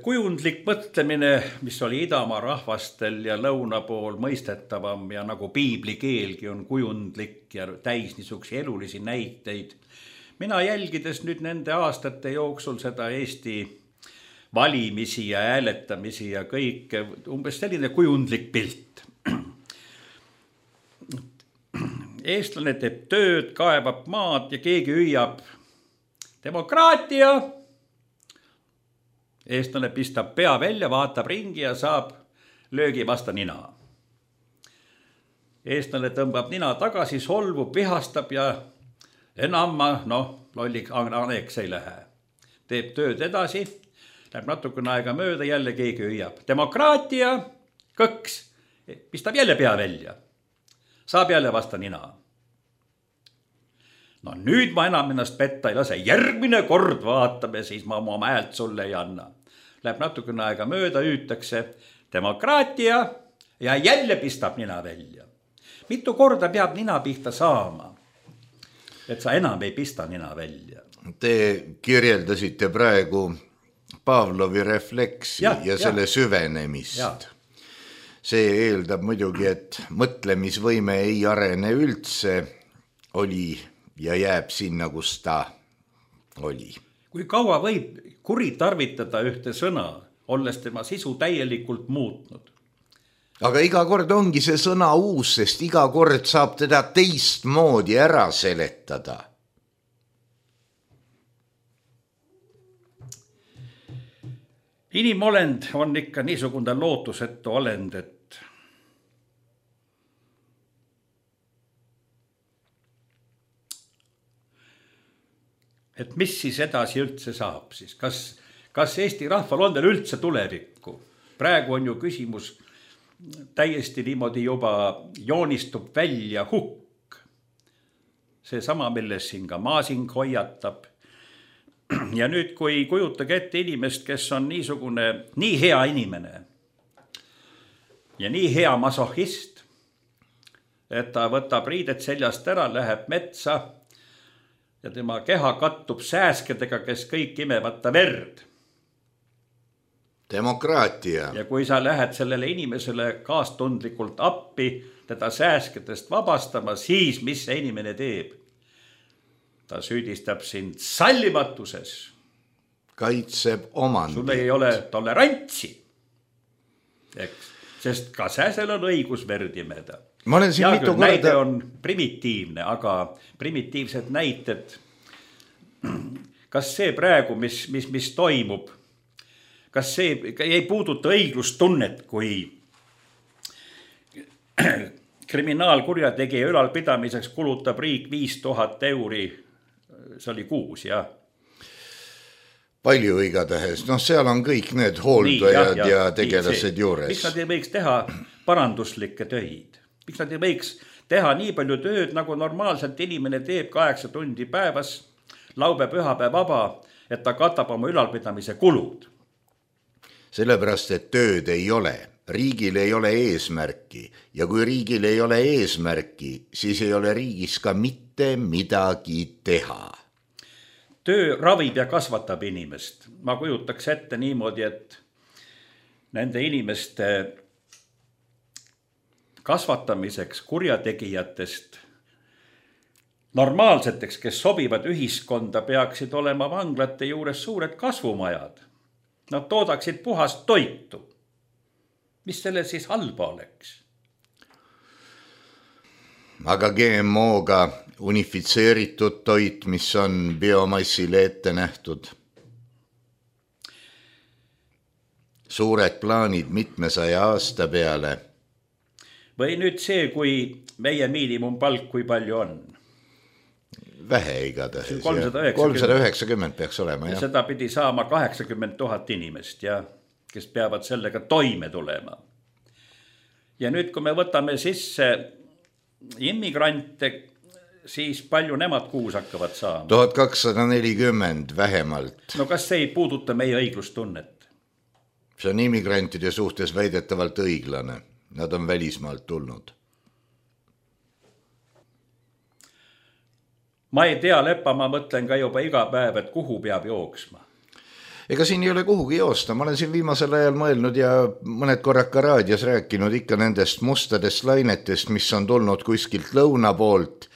Kujundlik mõtlemine, mis oli idamaa rahvastel ja lõuna pool mõistetavam ja nagu piibli keelgi on kujundlik ja täis niisugusi elulisi näiteid. Mina jälgides nüüd nende aastate jooksul seda Eesti valimisi ja hääletamisi ja kõike, umbes selline kujundlik pilt. Eestlane teeb tööd, kaevab maad ja keegi hüüab demokraatia. Eestlane pistab pea välja, vaatab ringi ja saab löögi vasta nina. Eestlane tõmbab nina tagasi, solvub, vihastab ja enam lollik aneks ei lähe. Teeb tööd edasi. Läheb natukene aega mööda, jälle keegi hüüab demokraatia, kõks, pistab jälle pea välja. Saab jälle vasta nina. No nüüd ma enam ennast petta ei lase, järgmine kord vaatame, siis ma oma häält sulle ei anna. Läheb natukene aega mööda, hüütakse demokraatia ja jälle pistab nina välja. Mitu korda peab nina pihta saama, et sa enam ei pista nina välja? Te kirjeldasite praegu Pavlovi refleksi ja selle süvenemist. Ja. See eeldab muidugi, et mõtlemisvõime ei arene üldse, oli ja jääb sinna, kus ta oli. Kui kaua võib kuritarvitada ühte sõna, olles tema sisu täielikult muutnud? Aga iga kord ongi see sõna uus, sest iga kord saab teda teistmoodi ära seletada. Inimolend on ikka niisugune lootusetu olend, et mis siis edasi üldse saab siis? Kas Eesti rahval on veel üldse tulevikku? Praegu on ju küsimus täiesti niimoodi juba joonistub välja hukk. See sama, milles siin ka Maasing hoiatab. Ja nüüd, kui kujutage ette inimest, kes on niisugune, nii hea inimene ja nii hea masohhist, et ta võtab riidet seljast ära, läheb metsa ja tema keha kattub sääskedega, kes kõik imevad ta verd. Demokraatia. Ja kui sa lähed sellele inimesele kaastundlikult appi, teda sääskedest vabastama, siis mis see inimene teeb? Ta süüdistab sind sallimatuses. kaitseb omandit. sul ei ole tolerantsi, eks, sest ka sääsel on õigus verd imeda. Ma olen siin mitu korda... Näide on primitiivne, aga primitiivsed näited, kas see praegu, mis toimub, kas see ei puuduta õiglustunnet, kui kriminaalkurjategija ülalpidamiseks kulutab riik 5000 euri, see oli kuus, jah. Palju igatahes, seal on kõik need hooldajad ja tegelased juures. Miks nad ei võiks teha paranduslikke töid? Miks nad ei võiks teha nii palju tööd, nagu normaalselt inimene teeb 8 tundi päevas, laupäev, pühapäev vaba, et ta katab oma ülalpidamise kulud? Sellepärast, et tööd ei ole. Riigil ei ole eesmärki ja kui riigil ei ole eesmärki, siis ei ole riigis ka mitte midagi teha. Töö ravib ja kasvatab inimest. Ma kujutaks ette niimoodi, et nende inimeste kasvatamiseks kurjategijatest normaalseteks, kes sobivad ühiskonda, peaksid olema vanglate juures suured kasvumajad. Nad toodaksid puhast toitu. Mis selle siis halba oleks? Aga GMO-ga unifitseeritud toit, mis on biomassile ette nähtud. Suured plaanid 700 aasta peale. Või nüüd see, kui meie miinimumpalk, kui palju on? Vähe igatahes. 390 peaks olema. Ja seda pidi saama 80 000 inimest, ja kes peavad sellega toime tulema. Ja nüüd, kui me võtame sisse immigrante, siis palju nemad kuus hakkavad saama? 1240 vähemalt. No kas see ei puuduta meie õiglustunnet? See on immigrantide suhtes väidetavalt õiglane. Nad on välismaalt tulnud. Ma ei tea, Lepa, ma mõtlen ka juba iga päev, et kuhu peab jooksma. Ega siin ei ole kuhugi joosta, ma olen siin viimasel ajal mõelnud ja mõned korrad ka raadios rääkinud ikka nendest mustadest lainetest, mis on tulnud kuskilt lõuna poolt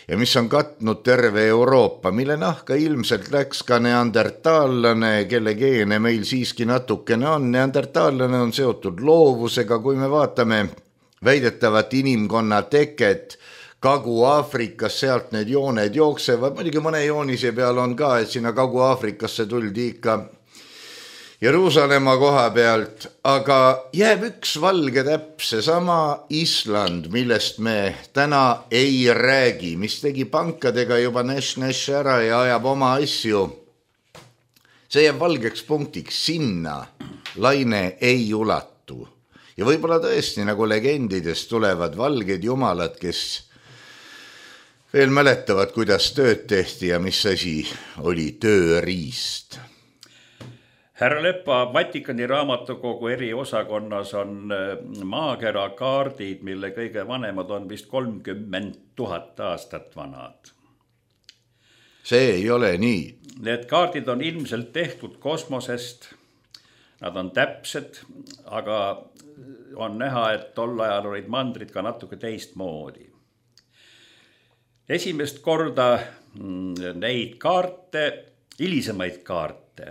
ja mis on katnud terve Euroopa, mille nahka ilmselt läks ka neandertaallane, kelle geene meil siiski natukene on. Neandertaallane on seotud loovusega, kui me vaatame väidetavat inimkonna teket Kagu-Aafrikas, sealt need jooned jooksevad, muidugi mõne joonise peal on ka, et sinna Kagu-Aafrikasse tuldi ikka Jeruusalemma koha pealt, aga jääb üks valge täpp, seesama Island, millest me täna ei räägi, mis tegi pankadega juba näš ära ja ajab oma asju. See jääb valgeks punktiks, sinna laine ei ulatu. Ja võib-olla tõesti, nagu legendidest tulevad valged jumalad, kes veel mäletavad, kuidas tööd tehti ja mis asi oli tööriist. Härra Lepa, Vatikani raamatukogu eriosakonnas on maakera kaardid, mille kõige vanemad on vist 30 000 aastat vanad. See ei ole nii. Need kaardid on ilmselt tehtud kosmosest. Nad on täpsed, aga on näha, et tol ajal olid mandrid ka natuke teistmoodi. Esimest korda neid kaarte, hilisemaid kaarte,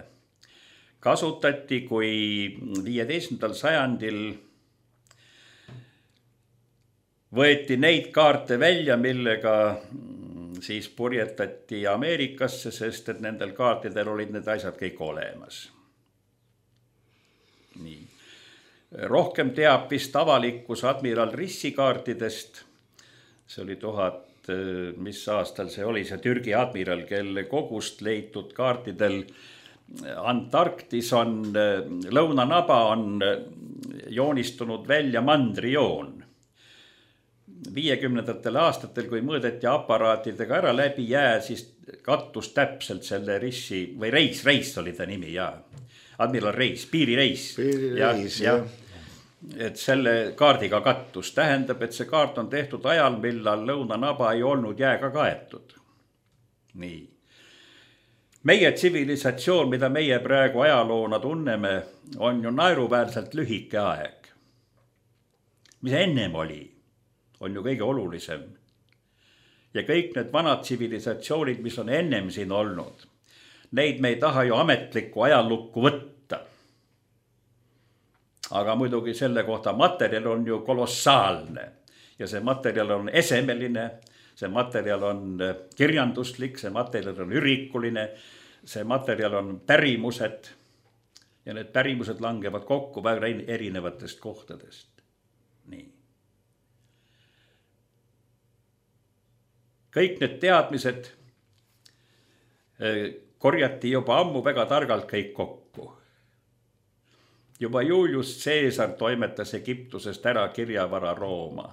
kasutati, kui 15. sajandil võeti neid kaarte välja, millega siis purjetati Ameerikasse, sest et nendel kaartidel olid need asjad kõik olemas. Nii. Rohkem teab vist avalikkus admiral Rissi kaartidest. See oli mis aastal see oli, see Türgi admiral, kelle kogust leitud kaartidel Antarktis on, lõunanaba on joonistunud välja mandrijoon. 50. aastatel, kui mõõdeti aparaatidega ära läbi jää, siis kattus täpselt selle Rissi, või Reis oli ta nimi, ja admiral Reis, piirireis. Ja. Et selle kaardiga kattus tähendab, et see kaart on tehtud ajal, millal lõunanaba ei olnud jääga kaetud. Nii. Meie tsivilisatsioon, mida meie praegu ajaloona tunneme, on ju naeruväärselt lühike aeg. Mis ennem oli, on ju kõige olulisem. Ja kõik need vanad tsivilisatsioonid, mis on ennem siin olnud, neid me ei taha ju ametlikku ajalukku võtta. Aga muidugi selle kohta materjal on ju kolossaalne ja see materjal on esemeline, see materjal on kirjanduslik, see materjal on ürikuline, see materjal on pärimused ja need pärimused langevad kokku väga erinevatest kohtadest. Nii. Kõik need teadmised korjati juba ammu väga targalt kõik kokku. Juba Julius Caesar toimetas Egiptusest ära kirjavara Rooma.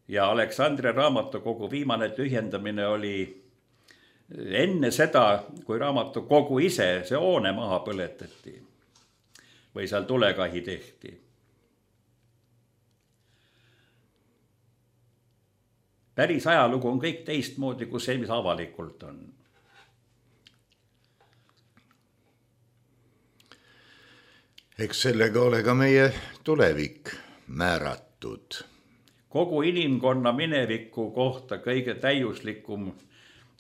Ja Aleksandria raamatukogu viimane tühjendamine oli enne seda, kui raamatukogu ise see hoone maha põletati või seal tulekahi tehti. Päris ajalugu on kõik teistmoodi kui see, mis avalikult on. Eks sellega ole ka meie tulevik määratud. Kogu inimkonna mineviku kohta kõige täiuslikum,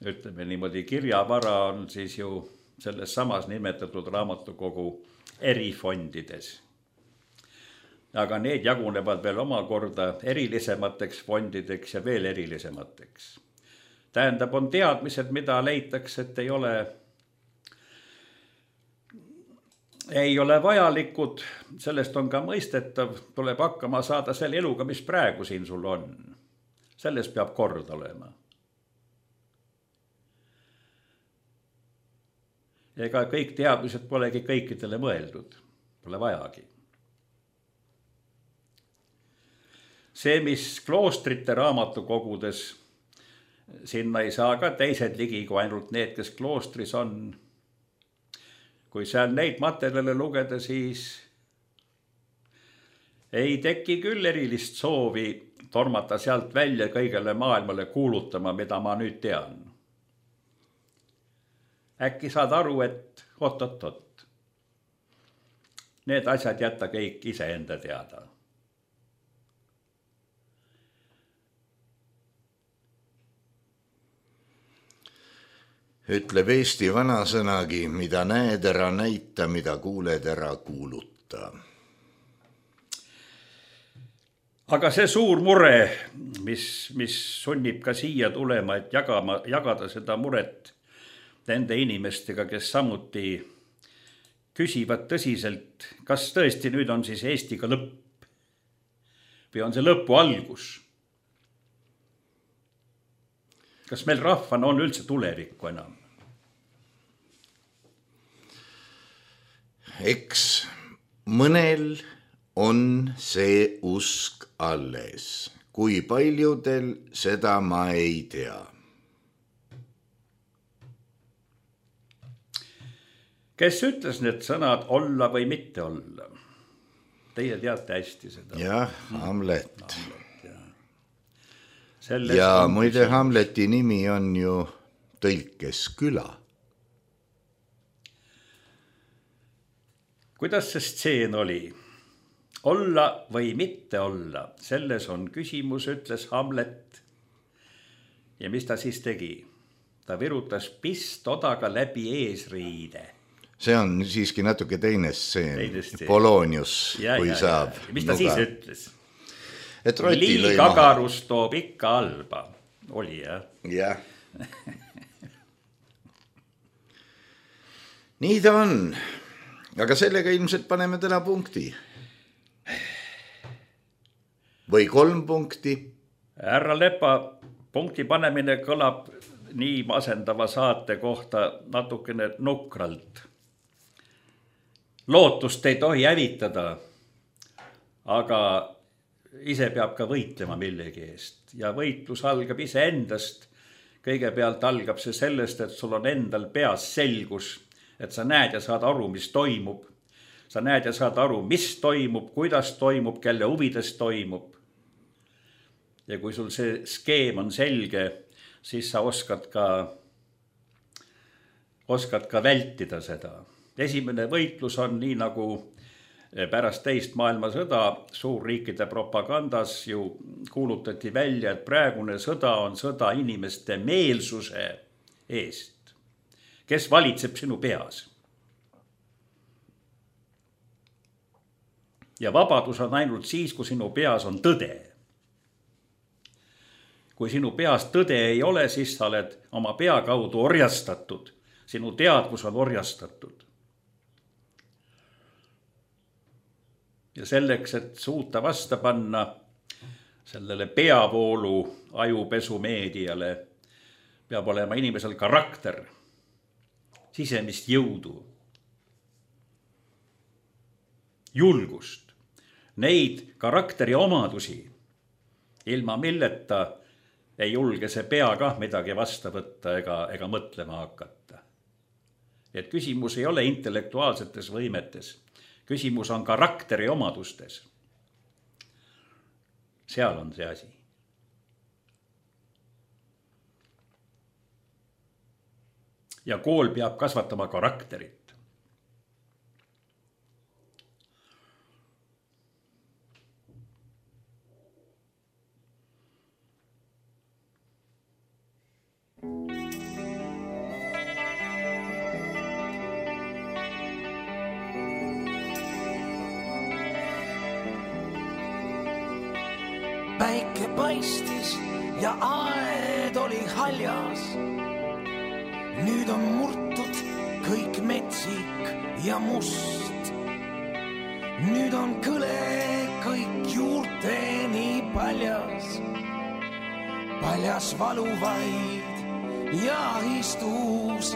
ütleme niimoodi, kirjavara on siis ju selles samas nimetatud raamatukogu erifondides. Aga need jagunevad veel omakorda erilisemateks fondideks ja veel erilisemateks. Tähendab, on teadmised, mida leitakse, et ei ole vajalikud, sellest on ka mõistetav, tuleb hakkama saada selle eluga, mis praegu siin sul on. Sellest peab kord olema. Ega kõik teadmised polegi kõikidele mõeldud, pole vajagi. See, mis kloostrite raamatukogudes, sinna ei saa ka teised ligi kui ainult need, kes kloostris on. Kui seal neid materjale lugeda, siis ei teki küll erilist soovi tormata sealt välja kõigele maailmale kuulutama, mida ma nüüd tean. Äkki saad aru, et oot. Need asjad jätta kõik iseenda teada. Ütleb Eesti vanasõnagi, mida näed ära näita, mida kuuled ära kuuluta. Aga see suur mure, mis sunnib ka siia tulema, et jagada seda muret nende inimestega, kes samuti küsivad tõsiselt, kas tõesti nüüd on siis Eestiga lõpp või on see lõpu algus? Kas meil rahvana on üldse tulevikku enam? Eks mõnel on see usk alles. Kui paljudel, seda ma ei tea. Kes ütles need sõnad olla või mitte olla? Teie teate hästi seda. Jah, Hamlet. Ja muide Hamleti nimi on ju tõlkes küla. Kuidas see stseen oli? Olla või mitte olla, selles on küsimus, ütles Hamlet. Ja mis ta siis tegi? Ta virutas pistodaga läbi eesriide. See on siiski natuke teine stseen. Polonius, kui saab. Mis ta siis ütles? Liig agarus toob ikka halba. Oli, jah? Jah. Nii ta on. Aga sellega ilmselt paneme täna punkti. Või 3 punkti. Härra Lepa, punkti panemine kõlab nii masendava saate kohta natukene nukralt. Lootust ei tohi hävitada, aga ise peab ka võitlema millegi eest ja võitlus algab ise endast. Kõigepealt algab see sellest, et sul on endal peas selgus, et sa näed ja saad aru, mis toimub. Sa näed ja saad aru, mis toimub, kuidas toimub, kelle huvides toimub. Ja kui sul see skeem on selge, siis sa oskad ka vältida seda. Esimene võitlus on nii nagu pärast teist maailmasõda suurriikide propagandas ju kuulutati välja, et praegune sõda on sõda inimeste meelsuse eest, kes valitseb sinu peas. Ja vabadus on ainult siis, kui sinu peas on tõde. Kui sinu peas tõde ei ole, siis sa oled oma pea kaudu orjastatud. Sinu teadvus on orjastatud. Ja selleks, et suuta vasta panna sellele peavoolu ajupesu meediale, peab olema inimesel karakter, sisemist jõudu, julgust. Neid karakteri omadusi, ilma milleta ei julge see pea kah midagi vasta võtta ega mõtlema hakata. Et küsimus ei ole intellektuaalsetes võimetes, küsimus on karakteri omadustes. Seal on see asi. Ja kool peab kasvatama karakterit. Päike paistis ja aed oli haljas. Nüüd on murtud kõik metsik ja must. Nüüd on kõle kõik juurteni paljas. Paljas valuvaid ja istus.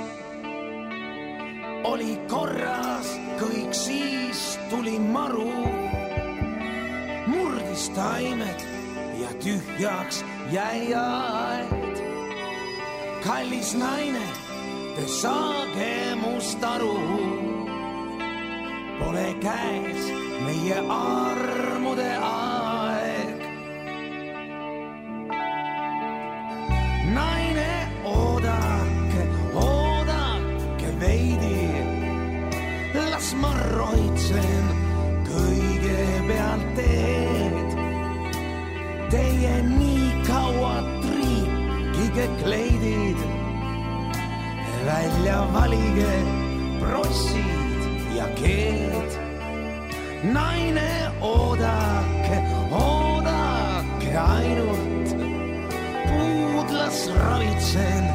Oli korras kõik, siis tuli maru. Murdis taimed ja tühjaks jäi aed. Kallis naine, te saage must aru. Pole käes meie armude aeg. Naine, oodake, oodake veidi. Las ma roitsen kõigepealt teed. Teie nii kaua triikige kleidid. Välja valige prossid ja keed. Naine, oodake, oodake ainult. Puudlas ravitsen,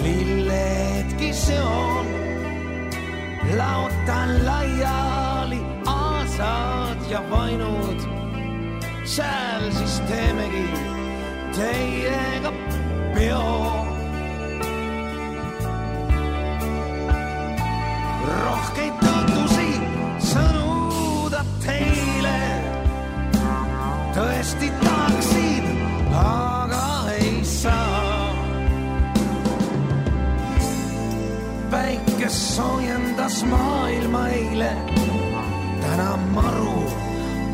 lilledki seon. Laotan laiali aasad ja vainud. Sääl siis teemegi teiega peo. Rohkeid tõtusi sõnuda teile. Tõesti tahaksin, aga ei saa. Päike soojendas maailma eile. Täna maru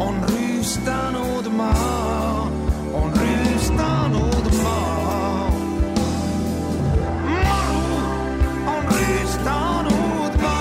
on rüüstanud maa, on rüüstanud maa. Maru on rüüstanud maa.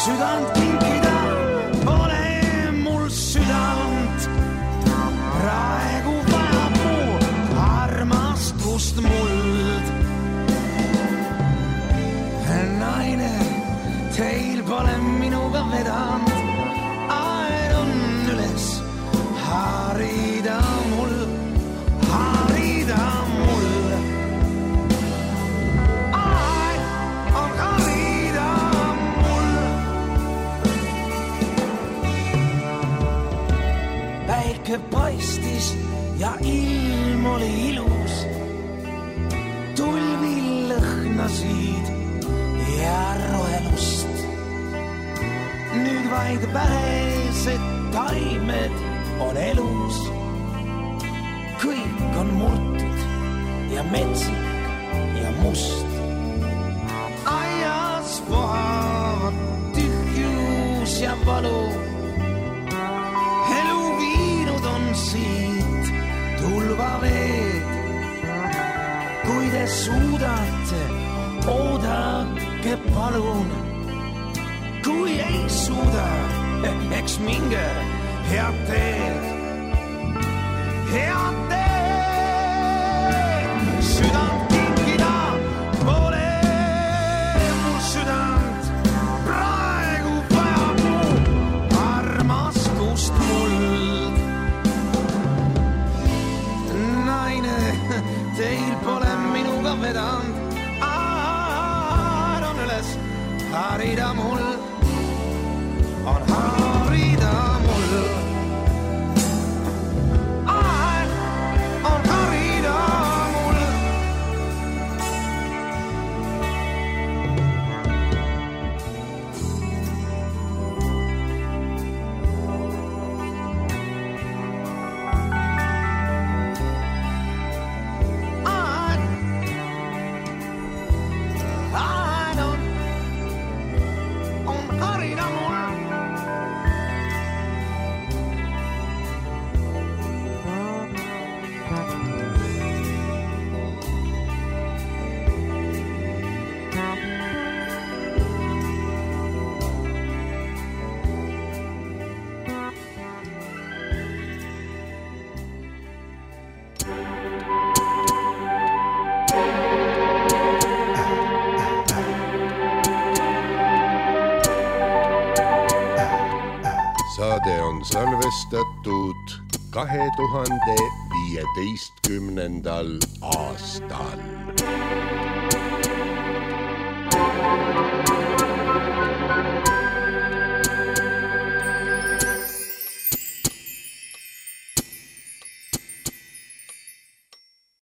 Südant kinkida pole mul südant. Praegu vajab mu armastust muld. Naine, teil pole minuga vedanud. Aed on üles, harida mul, harida mul. Aed on harida mul. päike paistis ja ilm oli ilus. Tulvil lõhnasid ja rohelust. Nüüd vaid vähesed taimed on elus. Kõik on murtud ja metsik ja must. Aias vohavad tühjus ja valu. Elu viinud on siit tulvaveed. Kui te suudate, oodake palun. Kui ei suuda, eks minge head teed. Head teed, südant kinkida pole mul südant. Praegu vajab mu armaskust muld. Naine, teil pole minuga vedanud. On üles harida mul. On harida mul. On harida mul. On harida mul. Saade on salvestatud 2015. aastal.